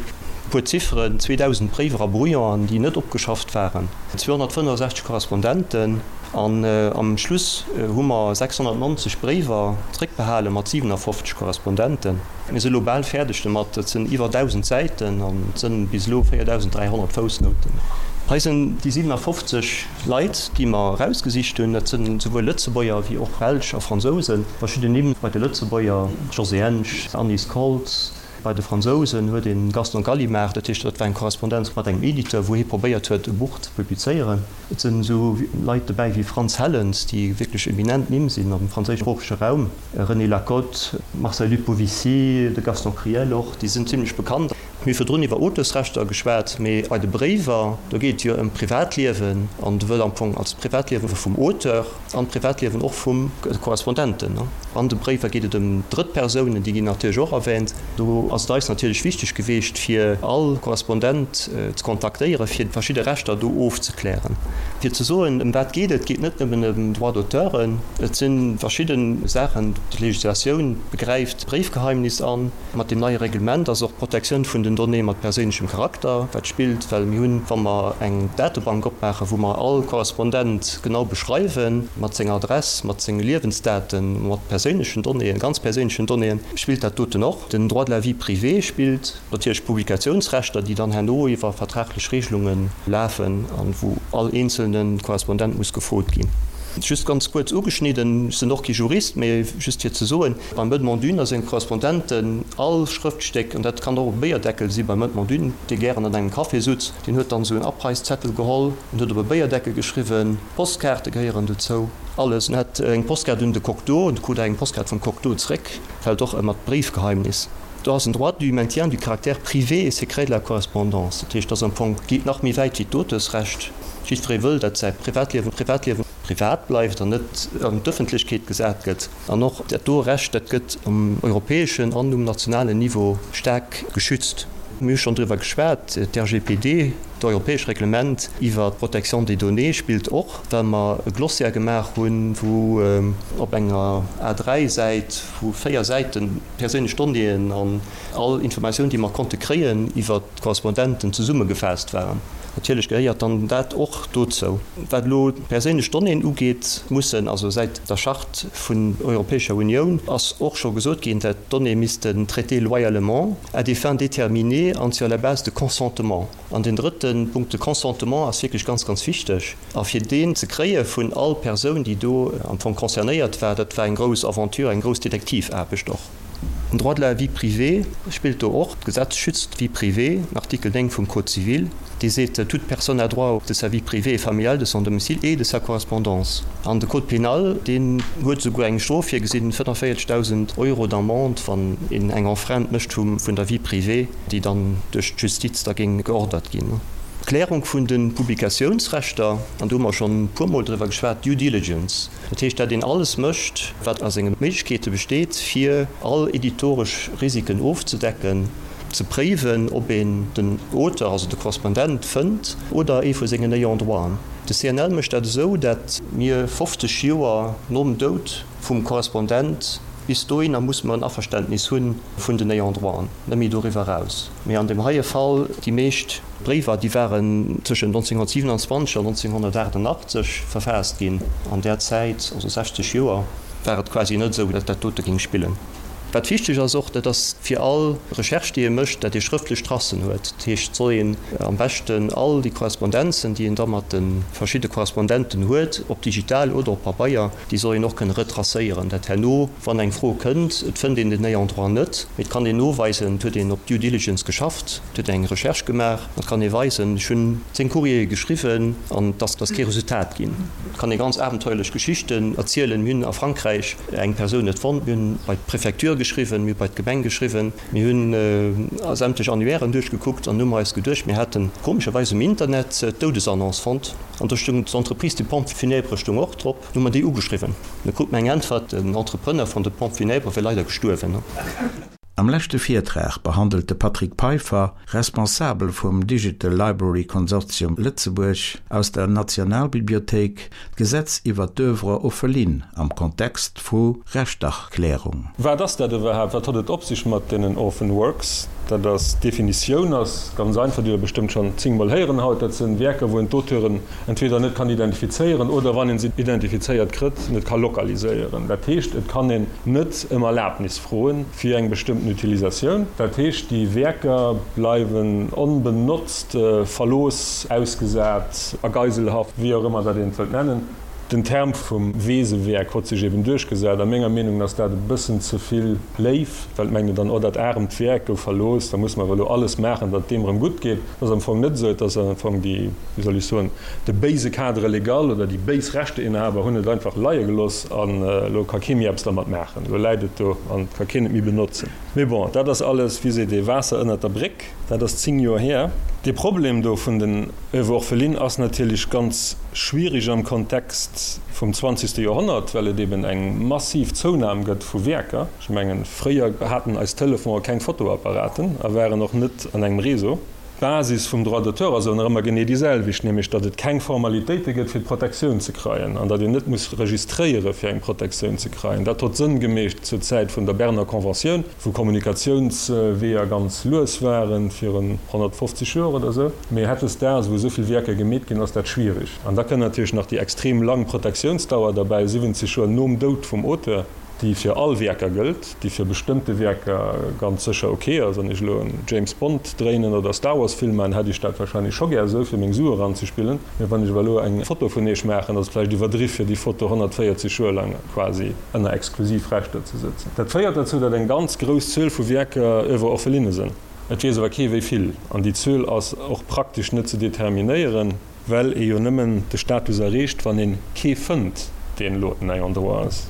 E puer Zifferen, 2.000 Bréiwer a Brouillonen, déi net opgeschafft waren, 265 Korrespondenten an am Schluss hu mer 690 Bréiwer zréckbehale mat 57 Korrespondenten. Mir si elo bal fäerdeg domat, dat sinn iwwer 1.000 Säiten an et sinn bis elo 4.300 Foussnouten. Hei sinn déi 57 Leit, déi mer erausgesicht hunn. Dat sinn souwuel Lëtzebuerger wéi och Belsch a Fransousen. Verschidden Nimm bei de Lëtzebuerger, Josée Ensch, Anise Koltz. Bei de Fransousen huet een Gaston Gallimard, dat heescht, dat war eng Korrespondenz mat engem Editeur, wou hie probéiert huet, e Buch ze publizéieren. Et sinn esou Leit dobäi wéi Frantz Hellens, déi wierklech eminent Nimm sinn am franséischsproochege Raum. René Lacote, Marcel Lupovici, de Gaston Criel och, déi sinn zimlech bekannt. Mir hu virdrun iwwer Auteursrechter geschwat, mee bei de Bréiwer, do geet et jo ëm d'Privatliewen an do wëll am Fong als d'Privatliewe vum Auteur an d'Privatliewen och vum Korrespondenten. An de Bréiwer geet et ëm Drëttpersounen, déi ginn natierlech och erwähnt. Do ass et eis natierlech wichteg geweecht, fir all Korrespondent ze kontaktéieren, fir verschidde Rechter do ofzeklären. Fir ze soen, ëm wat geet et, et geet net nëmmen ëm Droit-d'auteuren, et si verschidde Saachen, d'Legislatioun begräift d'Bréifgeheimnis an. Mat deem neie Reglement ass och d'Protektioun vun den Donnéeë mat perséinlechem Charakter, wat spillt, well mir hunn, wa mer eng Datebank opmaachen, wou mer all Korrespondent genau beschreiwen, mat senger Adress, mat senge Liewensdaten, mat perséinlechen Donnéeën, ganz perséinlechen Donnéeën, spillt dat doten och. Den Droit de la vie privée spillt natierlech, d'Publikatiounsrechter, déi dann herno iwwer vertraglech Regelunge lafen an wou all eenzelne Korrespondent muss gefrot ginn. Just ganz kuerz ugeschnidden, ech sinn och kee Jurist, mee just fir ze soen, Beim Edmond Dune a senge Korrespondenten, all Schrëftstéck, an dat kann och e Béierdeckel si beim Edmond Dune, dee gären an engem Café sutz, deen huet dann esou en Abreißzettel geholl an huet op e Béierdeckel geschriwwen, Postkaarte gehéieren dozou, alles. En hat eng Postkaart un de Cocteau, en krut eng Postkaart vum Cocteau zréck, fält och ëmmer d'Bréifgeheimnis. Do ass en Droit du maintien du caractère privé et secret de la correspondance, dat heescht, dat ass am Fong, geet nach méi wäit wéi d'Auteursrecht. Jiddweree wëll, datt säi Privatliewen Privatliewen privat bleift an net an d'Ëffentlechkeet gesat gëtt. An och dat do Recht, dat gëtt um europäeschen an um nationalen Niveau staark geschützt. Mir hu schonn driwwer geschwat, d'RGPD, d'europäesch Reglement iwwer d'Protection des données spillt och, well mer e Glossaire gemaach hunn, wou op enger A3-Säit vu 4 Säite perséinlech Donnéeën an all Informatioun, déi mer konnte kréien iwwer d'Korrespondenten, zesummegefaasst waren. Natierlech gehéiert dann dat och dozou. Wat elo d'perséinlech Donnéeën ugeet, mussen also säit der Charte vun der Europäescher Unioun ass och scho gesot ginn, dat d'Donnéeë missten traitées loyalement, à des fins déterminées an sur la base de consentement. An deen drëtte Punkt, de Consentement ass wierklech ganz, ganz wichteg. A fir deen ze kréie vun all Persoun, déi do am Fong concernéiert war, dat war eng grouss Aventure, eng grouss Detektivaarbecht och. Den Droit de la vie privée spillt do och. D'Gesetz schützt d'Vie privée, den Artikel 9 vum Code civil, dee seet, Toute personne a droit de sa vie privée et familiale, de son domicile et de sa correspondance. An de Code pénal, deen huet esouguer eng Strof virgesinn, 45.000 Euro d'Amende, wann een eng Enfreinte mécht vun der Vie privée, déi dann duerch d'Justiz da géing geordert ginn. D'Klärung vun de Publikatiounsrechter, an do hu mer schonn e puermol driwwer geschwat, Due diligence, Dat heescht, dat een alles mécht, wat a senge Méiglechkeete besteet, fir all editoresch Risiken ofzedecken, ze préiwen, ob een den Auteur, also de Korrespondent, fënnt oder ee vu sengen Ayants droiten. De CNL mécht dat esou, dat mir 50 Joer nom Doud vum Korrespondent, bis dohinner musse mer en Averständnis hu vun den Ayants droiten, net méi doriwwer eraus. Mee an deem heie Fall, déi meescht Bréiwer, déi waren tëschent 1927 an 1988 verfaasst ginn. An där Zäit, also 60 Joer, war et quasi net esou, datt dat dote géing spillen. Wat wichteg ass och, dat ass fir all Recherche, déi ee mécht, datt ee schrëftlech Tracen huet. Dat heescht, et soll een am beschten all déi Korrespondenzen, déi een da mat de verschidde Korrespondenten huet, ob digital oder op Pabeier, déi soll een och kënne retracéieren, dat herno, wann eng Fro kënnt, et fënnt een den Ayant droit net, mee et kann een noweisen, et huet een op Due Diligence geschafft, et huet een eng Recherche gemaach, et kann ee weisen, ech hunn 10 Courriere geschriwwen an et ass kee Resultat ginn. Et kann ee ganz abenteuerlech Geschichten erzielen. Mir hunn a Frankräich eng Persoun net fonnt, mir hunn bei d'Prefecture geschriwwen, mir hu bei d'Gemeng geschriwwen, mir hunn sämtlech Annuairen duerchgekuckt an hu mer eis geduecht, mir hätten komescherweis um Internet d'Doudesannonce fonnt an do stoung d'Entreprise des Pompes funèbres stoung och drop. Hu mer déi ugeschriwwen. Da krut mer eng Äntwert, den Entrepreneur vun de Pompes funèbres wier leider gestuerwen. Am leschte Virtrag behandelt de Patrick Peiffer, Responsabel vum Digital Library Konsortium Lëtzebuerg aus der Nationalbibliothéik, d'Gesetz iwwer d'Oeuvre orpheline am Kontext vu Rechterklärung. Wat ass dat iwwerhaapt? Wat hott et op sech mat deenen Orphan Works? Dat ass, d'Definitioun ass ganz einfach, déi Der bestëmmt schonn zéngmol héieren haut, dat sinn Wierker, wou een d'Auteuren entweder net kann identifizéieren oder, wann een se identifizéiert kritt, net ka lokaliséieren. Dat heescht, et kann een net ëm Erlaabnis froen fir eng bestëmmten Utilisatioun. Dat heescht, déi Wierker bleiwen onbenotzt, verlooss, ausgesat, a Geiselhaft, wéi och ëmmer dat een et wëllt nennen. Den Term vum Weesewäerk hott sech eben duerchgesat. A menger Meenung ass dat e bëssen ze vill léif, well et mengt een dann, oh dat aremt Wäerk gouf verlooss, da musse mer awer elo alles maachen, datt et deem erëm gutt geet. Dat ass am Fong net esou. Et ass am Fong déi, wéi soll ech soen, de béise Cadre légal oder déi béis Rechteinhaber hunn et einfach leie gelooss an elo ka kee méi eppes dermat maachen. Elo läit et do an et ka keen et méi benotzen. Mee bon, dat ass alles, wéi seet ee, Waasser ënnert der Bréck. Dat ass 10 Joer hier. Dee Problem do vun den Oeuvres orphelines ass natierlech ganz schwierig am Kontext vum zwanzegste Joerhonnert, well et eben eng massiv Zounam gëtt vu Wierker. Ech mengen, fréier haten eis Telefoner keng Fotoapparaten a waren och net an engem Réseau. D'Basis vum Droit d'auteur ass awer nach ëmmer genee déi selwecht, nämlech datt et keng Formalitéite gëtt fir d'Protektioun ze kreien an datt een net muss registréiere fir eng Protektioun ze kreien. Dat hott Sënn gemeecht zur Zäit vun der Berner Conventioun. wou Kommunikatiounsweeër ganz lues waren, virun 150 Joer oder esou. Mee hautdesdaags, wou esou vill Wierker gemeet ginn, ass dat schwierig. An da kënnt natierlech nach déi extrem lang Protektiounsdauer derbäi, 70 Joer nom Doud vum Auteur, déi fir all Wierker gëllt, déi fir bestëmmte Wierker ganz sécher ok ass. Wann ech elo en James Bond dréinen oder Star Wars Film maachen, hätt ech dat wahrscheinlech scho gär esou, fir meng Sue eranzespillen. Mee wann ech awer elo eng Foto vun Iech maachen, ass et vläicht iwwerdriff, fir déi Foto 140 Joer lang quasi ënner exklusiv Rechter ze sëtzen. Dat féiert derzou, datt eng ganz grouss Zuel vu Wierker Oeuvres orphelines sinn. Et weess awer kee wéi vill, an déi Zuel ass och praktesch net ze determinéieren, well ee jo nëmmen de Status erreecht, wann ee kee fënnt, deen elo en Ayant droit ass.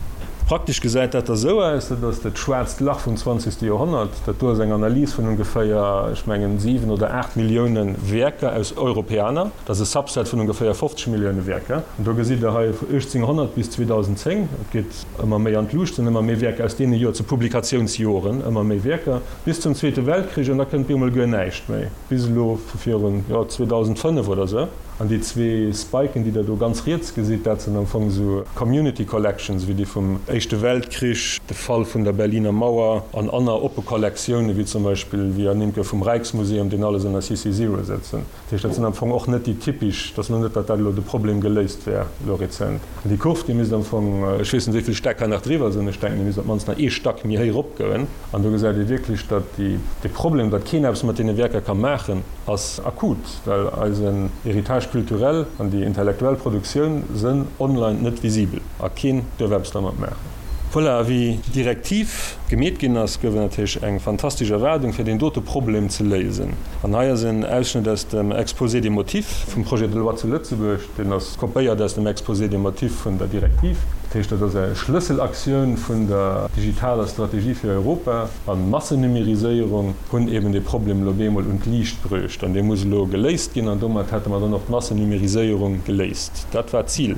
Praktesch gesäit dat da sou aus, dat ass dat schwaarzt Lach vum zwanzegste Joerhonnert. Dat do ass eng Analys vun ongeféier, ech mengen, 7 oder 8 Millioune Wierker aus Europeana. Dat ass e Subset vun ongeféier 50 Millioune Wierker. An do gesitt Der hei vu 1800 bis 2010, et geet ëmmer méi an d'Luucht, sinn ëmmer méi Wierker aus deene Joer, zu Publikatiounsjoren, ëmmer méi Wierker, bis zum Zweete Weltkrich, an da kënnt bemol guer näischt méi, bis elo vu virun, jo, 2005 oder esou. An déi zwee Spiken, déi Der do ganz riets gesitt, dat sinn am Fong esou Community Collections, wéi déi vum Éischte Weltkrich, de Fall vun der Berliner Mauer an anner oppe Kollektioune wéi zum Beispill, wéi ernimmt gouf, vum Rijksmuseum, deen alles ënner CC Zero sëtzen. Dat heescht, dat sinn am Fong och net déi typisch, dat ass elo net, datt dat elo de Problem geléist wär elo rezent. An déi Kurv, déi misst am Fong, ech weess net, wéi vill Stäck hei nach driwwer sinn, ech denken, déi misst op d'mannst nach ee Stack méi héich eropgoen. An do gesäit ee wierklech, datt déi, dee Problem, datt keen eppes mat deene Wierker ka maachen, ass akut, well eisen Héritage culturel an déi intellektuell Produktioun sënn online net visibel a keen duerf eppes dermat maachen. Voilà, a wéi d'Direktiv gemeet ginn ass, gouf et natierlech eng fantastesch Erwaardung, fir deen dote Problem ze léisen. An hei ass en Ausschnëtt aus dem Exposé des motifs vum Projet de loi zu Lëtzebuerg. Deen ass kopéiert aus dem Exposé des motifs vun der Direktiv. Dat heescht, dat ass eng Schlësselaktioun vun der digitaler Strategie fir Europa. An d'Massenumériséierung hunn eben dee Problem elo bemol un d'Liicht bruecht. An dee muss elo geléist ginn. An domat hätte mer dann och d'Massenumériséierung geléist. Dat war d'Zil.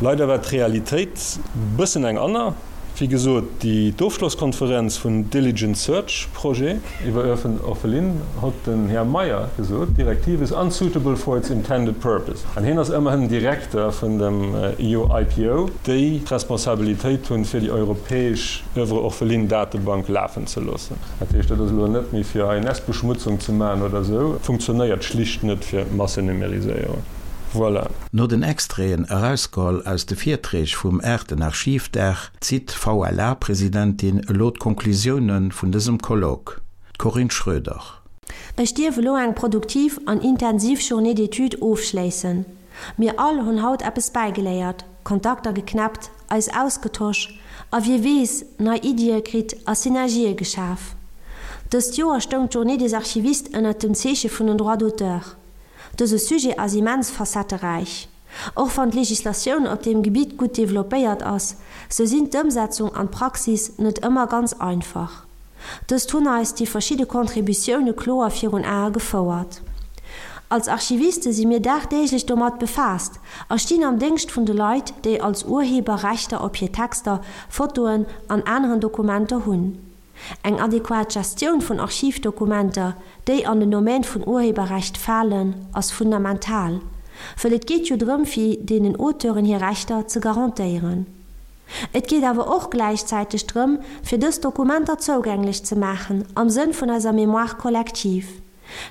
Leider war d'Realitéit bëssen eng anner. Wéi gesot, déi d'Ofschlosskonferenz vun Diligent Search Projet iwwer Oeuvres orphelines hott den Här Meyer gesot, Directive is unsuitable for its intended purpose. An hien ass ëmmerhin den Direkter vun dem EUIPO, déi d'Responsabilitéit hunn, fir déi europäesch Oeuvres orphelines Datebank lafen ze loossen. Dat heescht, dat ass elo net méi fir hei Nestbeschmutzung ze maachen oder esou, funktionéiert schlicht net fir Massenumériséierung. Voilà. No den Extraiten erausgeholl aus de Virträg vum aachten Archivdag zitt d'VLA-Presidentin elo d'Konklusioune vun dësem Colloque, d'Corinne Schroeder. Ech dierf elo eng produktiv an intensiv Journée d'études ofschléissen. Mir all hunn haut eppes bäigeléiert, Kontakter geknäppt, eis ausgetosch a wie weess, nei Iddie kritt a Synergië geschaf. Dëst Joer stoung d'Journée des Archivistes ënnert dem Zeeche vun den Droits d'auteur. Dëse Sujet ass immens facetteräich. Och wann d'Legislatioun op deem Gebitt gutt developpéiert ass, sou sinn d'Ëmsetzung an d'Praxis net ëmmer ganz einfach. Dëst hunn eis déi verschidde Contributioune kloer virun Ae gefouert. Als Archiviste si mir dagdeeglech domat befaasst a stinn am Déngscht vun de Leit, déi als Urheber Rechter op hir Texter, Fotoen an aneren Dokumenter hunn. Eng adequat Gestioun vun Archivdokumenter, déi an den Domaine vun Urheberrecht falen, ass fundamental, wëll et geet jo drëm fir deenen Auteuren hir Rechter ze garantéieren. Et geet awer och gläichzäiteg drëm, fir dës Dokumenter zougänglech ze maachen am Sënn vun eiser Mémoire collective.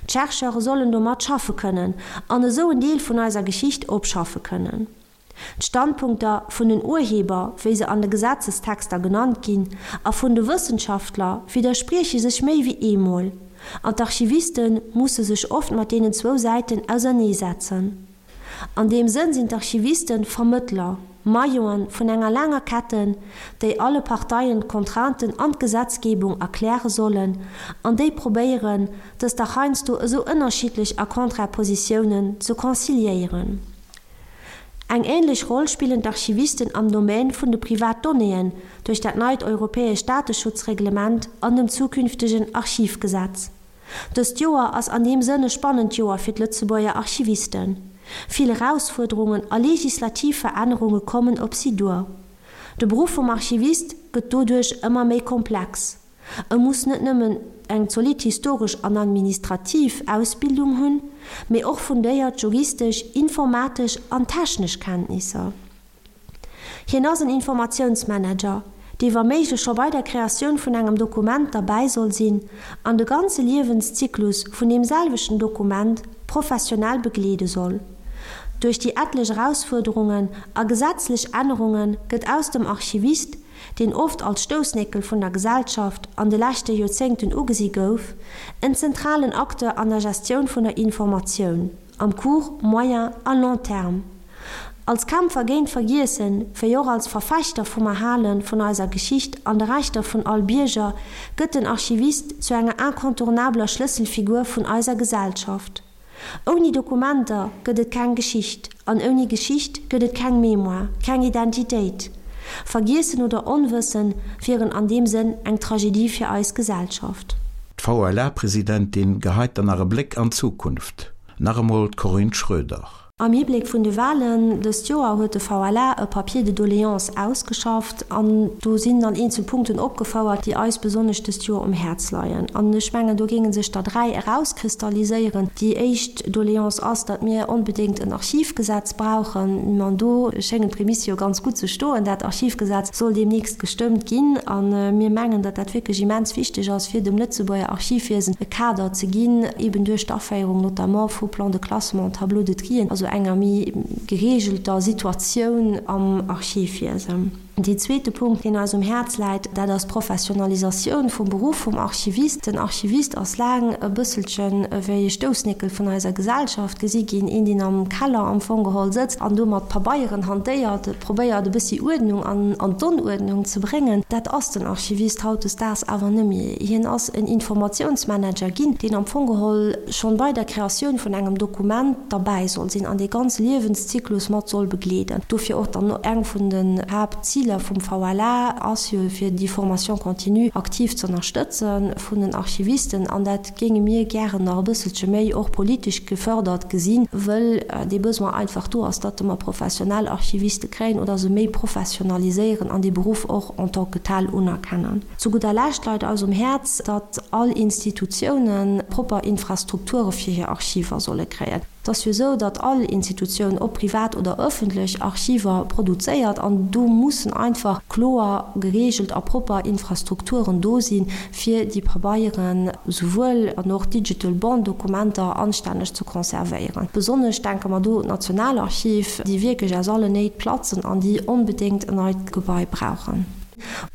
D'Chercheure sollen domat schaffe kënnen an esou en Deel vun eiser Geschicht opschaffe kënnen. D'Standpunkter vun den Urheber, wéi se an de Gesetzestexter genannt ginn, a vun de Wëssenschaftler widdersprieche sech méi wéi eemol, an d'Archiviste musse sech oft mat deenen zwou Säiten auserneesetzen. An deem Sënn sinn d'Archivisten Vermëttler, Mailloen vun enger laanger Ketten, déi alle Parteien d'Contrainten an d'Gesetzgebung erkläre sollen an déi probéieren, dës dach heiansdo esou ënnerschiddlech a contraire Positiounen ze conciliéieren. Eng ähnlech Roll spillen d'Archivisten am Domaine vun de Privatdonnéeën duerch dat neit europäescht Dateschutzreglement an dem zukünftegen Archivgesetz. Dëst Joer ass an deem Sënn e spannend Joer fir d'Lëtzebuerger Archivisten. Vill Erausfuerderungen a legislativ Verännerunge kommen op si duer. De Beruff vum Archivist gëtt doduerch ëmmer méi komplex. E muss net nëmmen eng zolidd historesch an administrativ Ausbildung hunn, mee och fundéiert juristesch, informatesch an technesch Kenntnisser. Hien ass en Informatiounsmanager, dee wa méiglech scho bei der Kreatioun vun engem Dokument derbäi soll sinn an de ganze Liewenszyklus vun deem selwechten Dokument professionell begleede soll. Duerch déi etlech Erausfuerderungen a gesetzlech Ännerunge gëtt aus dem Archivist, deen oft als Stoussnéckel vun der Gesellschaft an de leschte Joerzéngten ugesi gouf, en zentralen Acteur an der Gestioun vun der Informatioun am court, moyen a long terme. Als Kämpfer géint d'Vergiessen, wéi och als Verfechter vum Erhale vun eiser Geschicht an de Rechter vun all Bierger, gëtt den Archivist zu enger incontournabler Schlësselfigur vun eiser Gesellschaft. Ouni Dokumenter gëtt et keng Geschicht an ouni Geschicht gëtt et keng Mémoire, keng Identitéit. Vergiessen oder Onwëssen wieren an deem Sënn eng Tragedie fir eis Gesellschaft. D'VLA-Presidentin geheit dann nach e Bléck an d'Zukunft. Nach emol d'Corinne Schroeder. Am Hibléck vun de Walen dëst Joer huet de VLA e Papier de doléances ausgeschafft an do sinn dann eenzel Punkten opgefouert, déi eis besonnesch dëst Joer um Häerz leien. An ech mengen, do géinge sech der 3 erauskristalliséieren. Déi éischt Doléance ass, datt mir onbedéngt en Archivgesetz brauchen. An do schéngen d'Prämisse jo ganz gutt ze stoen. Dat Archivgesetz soll deemnächst gestëmmt ginn a mir mengen, datt dat wierklech immens wichteg ass, fir dem Lëtzebuerger Archivwiesen e Kader ze ginn, eben duerch d'Aféierung notamment vu Plans de classement, Tableaux de trien, also enger méi geregelter Situatioun am Archivwiesen. Deen zweete Punkt, deen eis um Häerz läit, dat ass d'Professionalisatioun vum Beruff vum Archivist. Den Archivist ass laang e bësselchen ewéi e Stoussnéckel vun eiser Gesellschaft gesi ginn, een, deen am Keller am Fong geholl sëtzt an do mat Pabeieren hantéiert, probéiert e bëssi Uerdnung an d'Onuerdnung ze bréngen. Dat ass den Archivist hautdesdaags awer nëmmi. Hien ass en Informatiounsmanager ginn, deen am Fong geholl schonn bei der Kreatioun vun engem Dokument derbäi soll sinn an dee ganze Liewenszyklus mat soll begleeden. Dofir och dann eng vun den Haaptziler vum VLA ass jo fir déi Formation continue aktiv z'ënnerstëtze vun den Archivisten an dat géinge mir gären nach e bësselche méi och politesch gefördert gesinn, wëll dee Besoin einfach do ass, datt mer professionell Archiviste kréien oder se méi professionaliséieren an dee Beruff och en tant que tel unerkennen. Zu gudder Lescht leit eis um Häerz, datt all Institutiounen propper Infrastrukture fir hir Archiver solle kréien. Et ass jo esou, datt all Institutioun, ob privat oder ëffentlech, Archiver produzéiert an do mussen einfach kloer gereegelt a propper Infrastrukturen do sinn, fir déi Pabeieren, souwuel an och digital Bond-Dokumenter anstänneg ze conservéieren. Besonnesch denke mer do un d'Nationalarchiv, déi wierklech aus allen Néit platzen an déi onbedéngt en neit Gebai brauchen.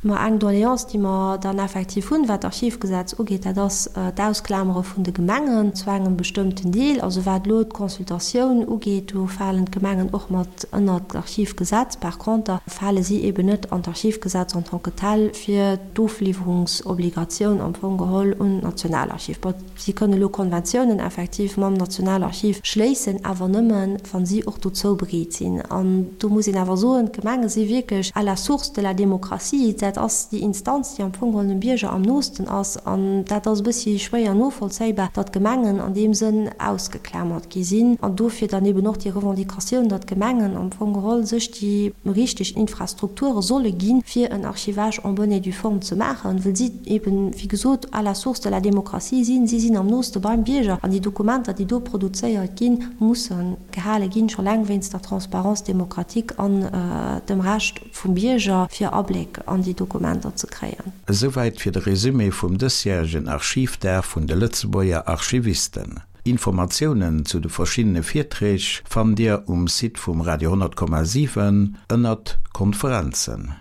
Ma eng Doléance, déi mer dann effektiv hunn, wat d'Archivgesetz ugeet, dat ass d'Ausklamere vun de Gemengen zu engem bestëmmten Deel. Also wat elo d'Consultatioun ugeet, do falen d'Gemengen och mat ënnert d'Archivgesetz. Par conter fale si eeben net an d'Archivgesetz en tant que tel fir d'Ofliwwerungsobligatioun am Fong geholl un d'Nationalarchiv. Si kënnen elo Konventiounen effektiv mam Nationalarchiv schléissen, awer nëmmen, wa si och dozou bereet sinn. An do muss een awer soen, d'Gemenge si wierklech à la source de la démocratie. Demokratie, dat ass déi Instanz, déi am Fong geholl dem Bierger am noosten ass. An dat ass e bëssi schwéier novollzéibar, datt d'Gemengen an deem Sënn ausgeklamert gi sinn. An dofir dann eben och déi Revendicatioun, datt d'Gemengen am Fong geholl sech déi richteg Infrastrukture solle ginn, fir en Archivage en bonne et due forme ze maachen, well si eben, wéi gesot, à la source de la démocratie sinn. Si sinn am nooste beim Bierger an déi Dokumenter, déi do produzéiert ginn, musse gehale ginn, scho laang wéinst der Transparence démocratique an dem Recht vum Bierger, fir Abléck an déi Dokumenter ze kréien. Esouwäit fir de Resumé vum dësjäregen Archivdag vun de Lëtzebuerger Archivisten. Informatiounen zu de verschiddene Virträg fannt Dir um Site vum Radio 10,7 ënnert Konferenzen.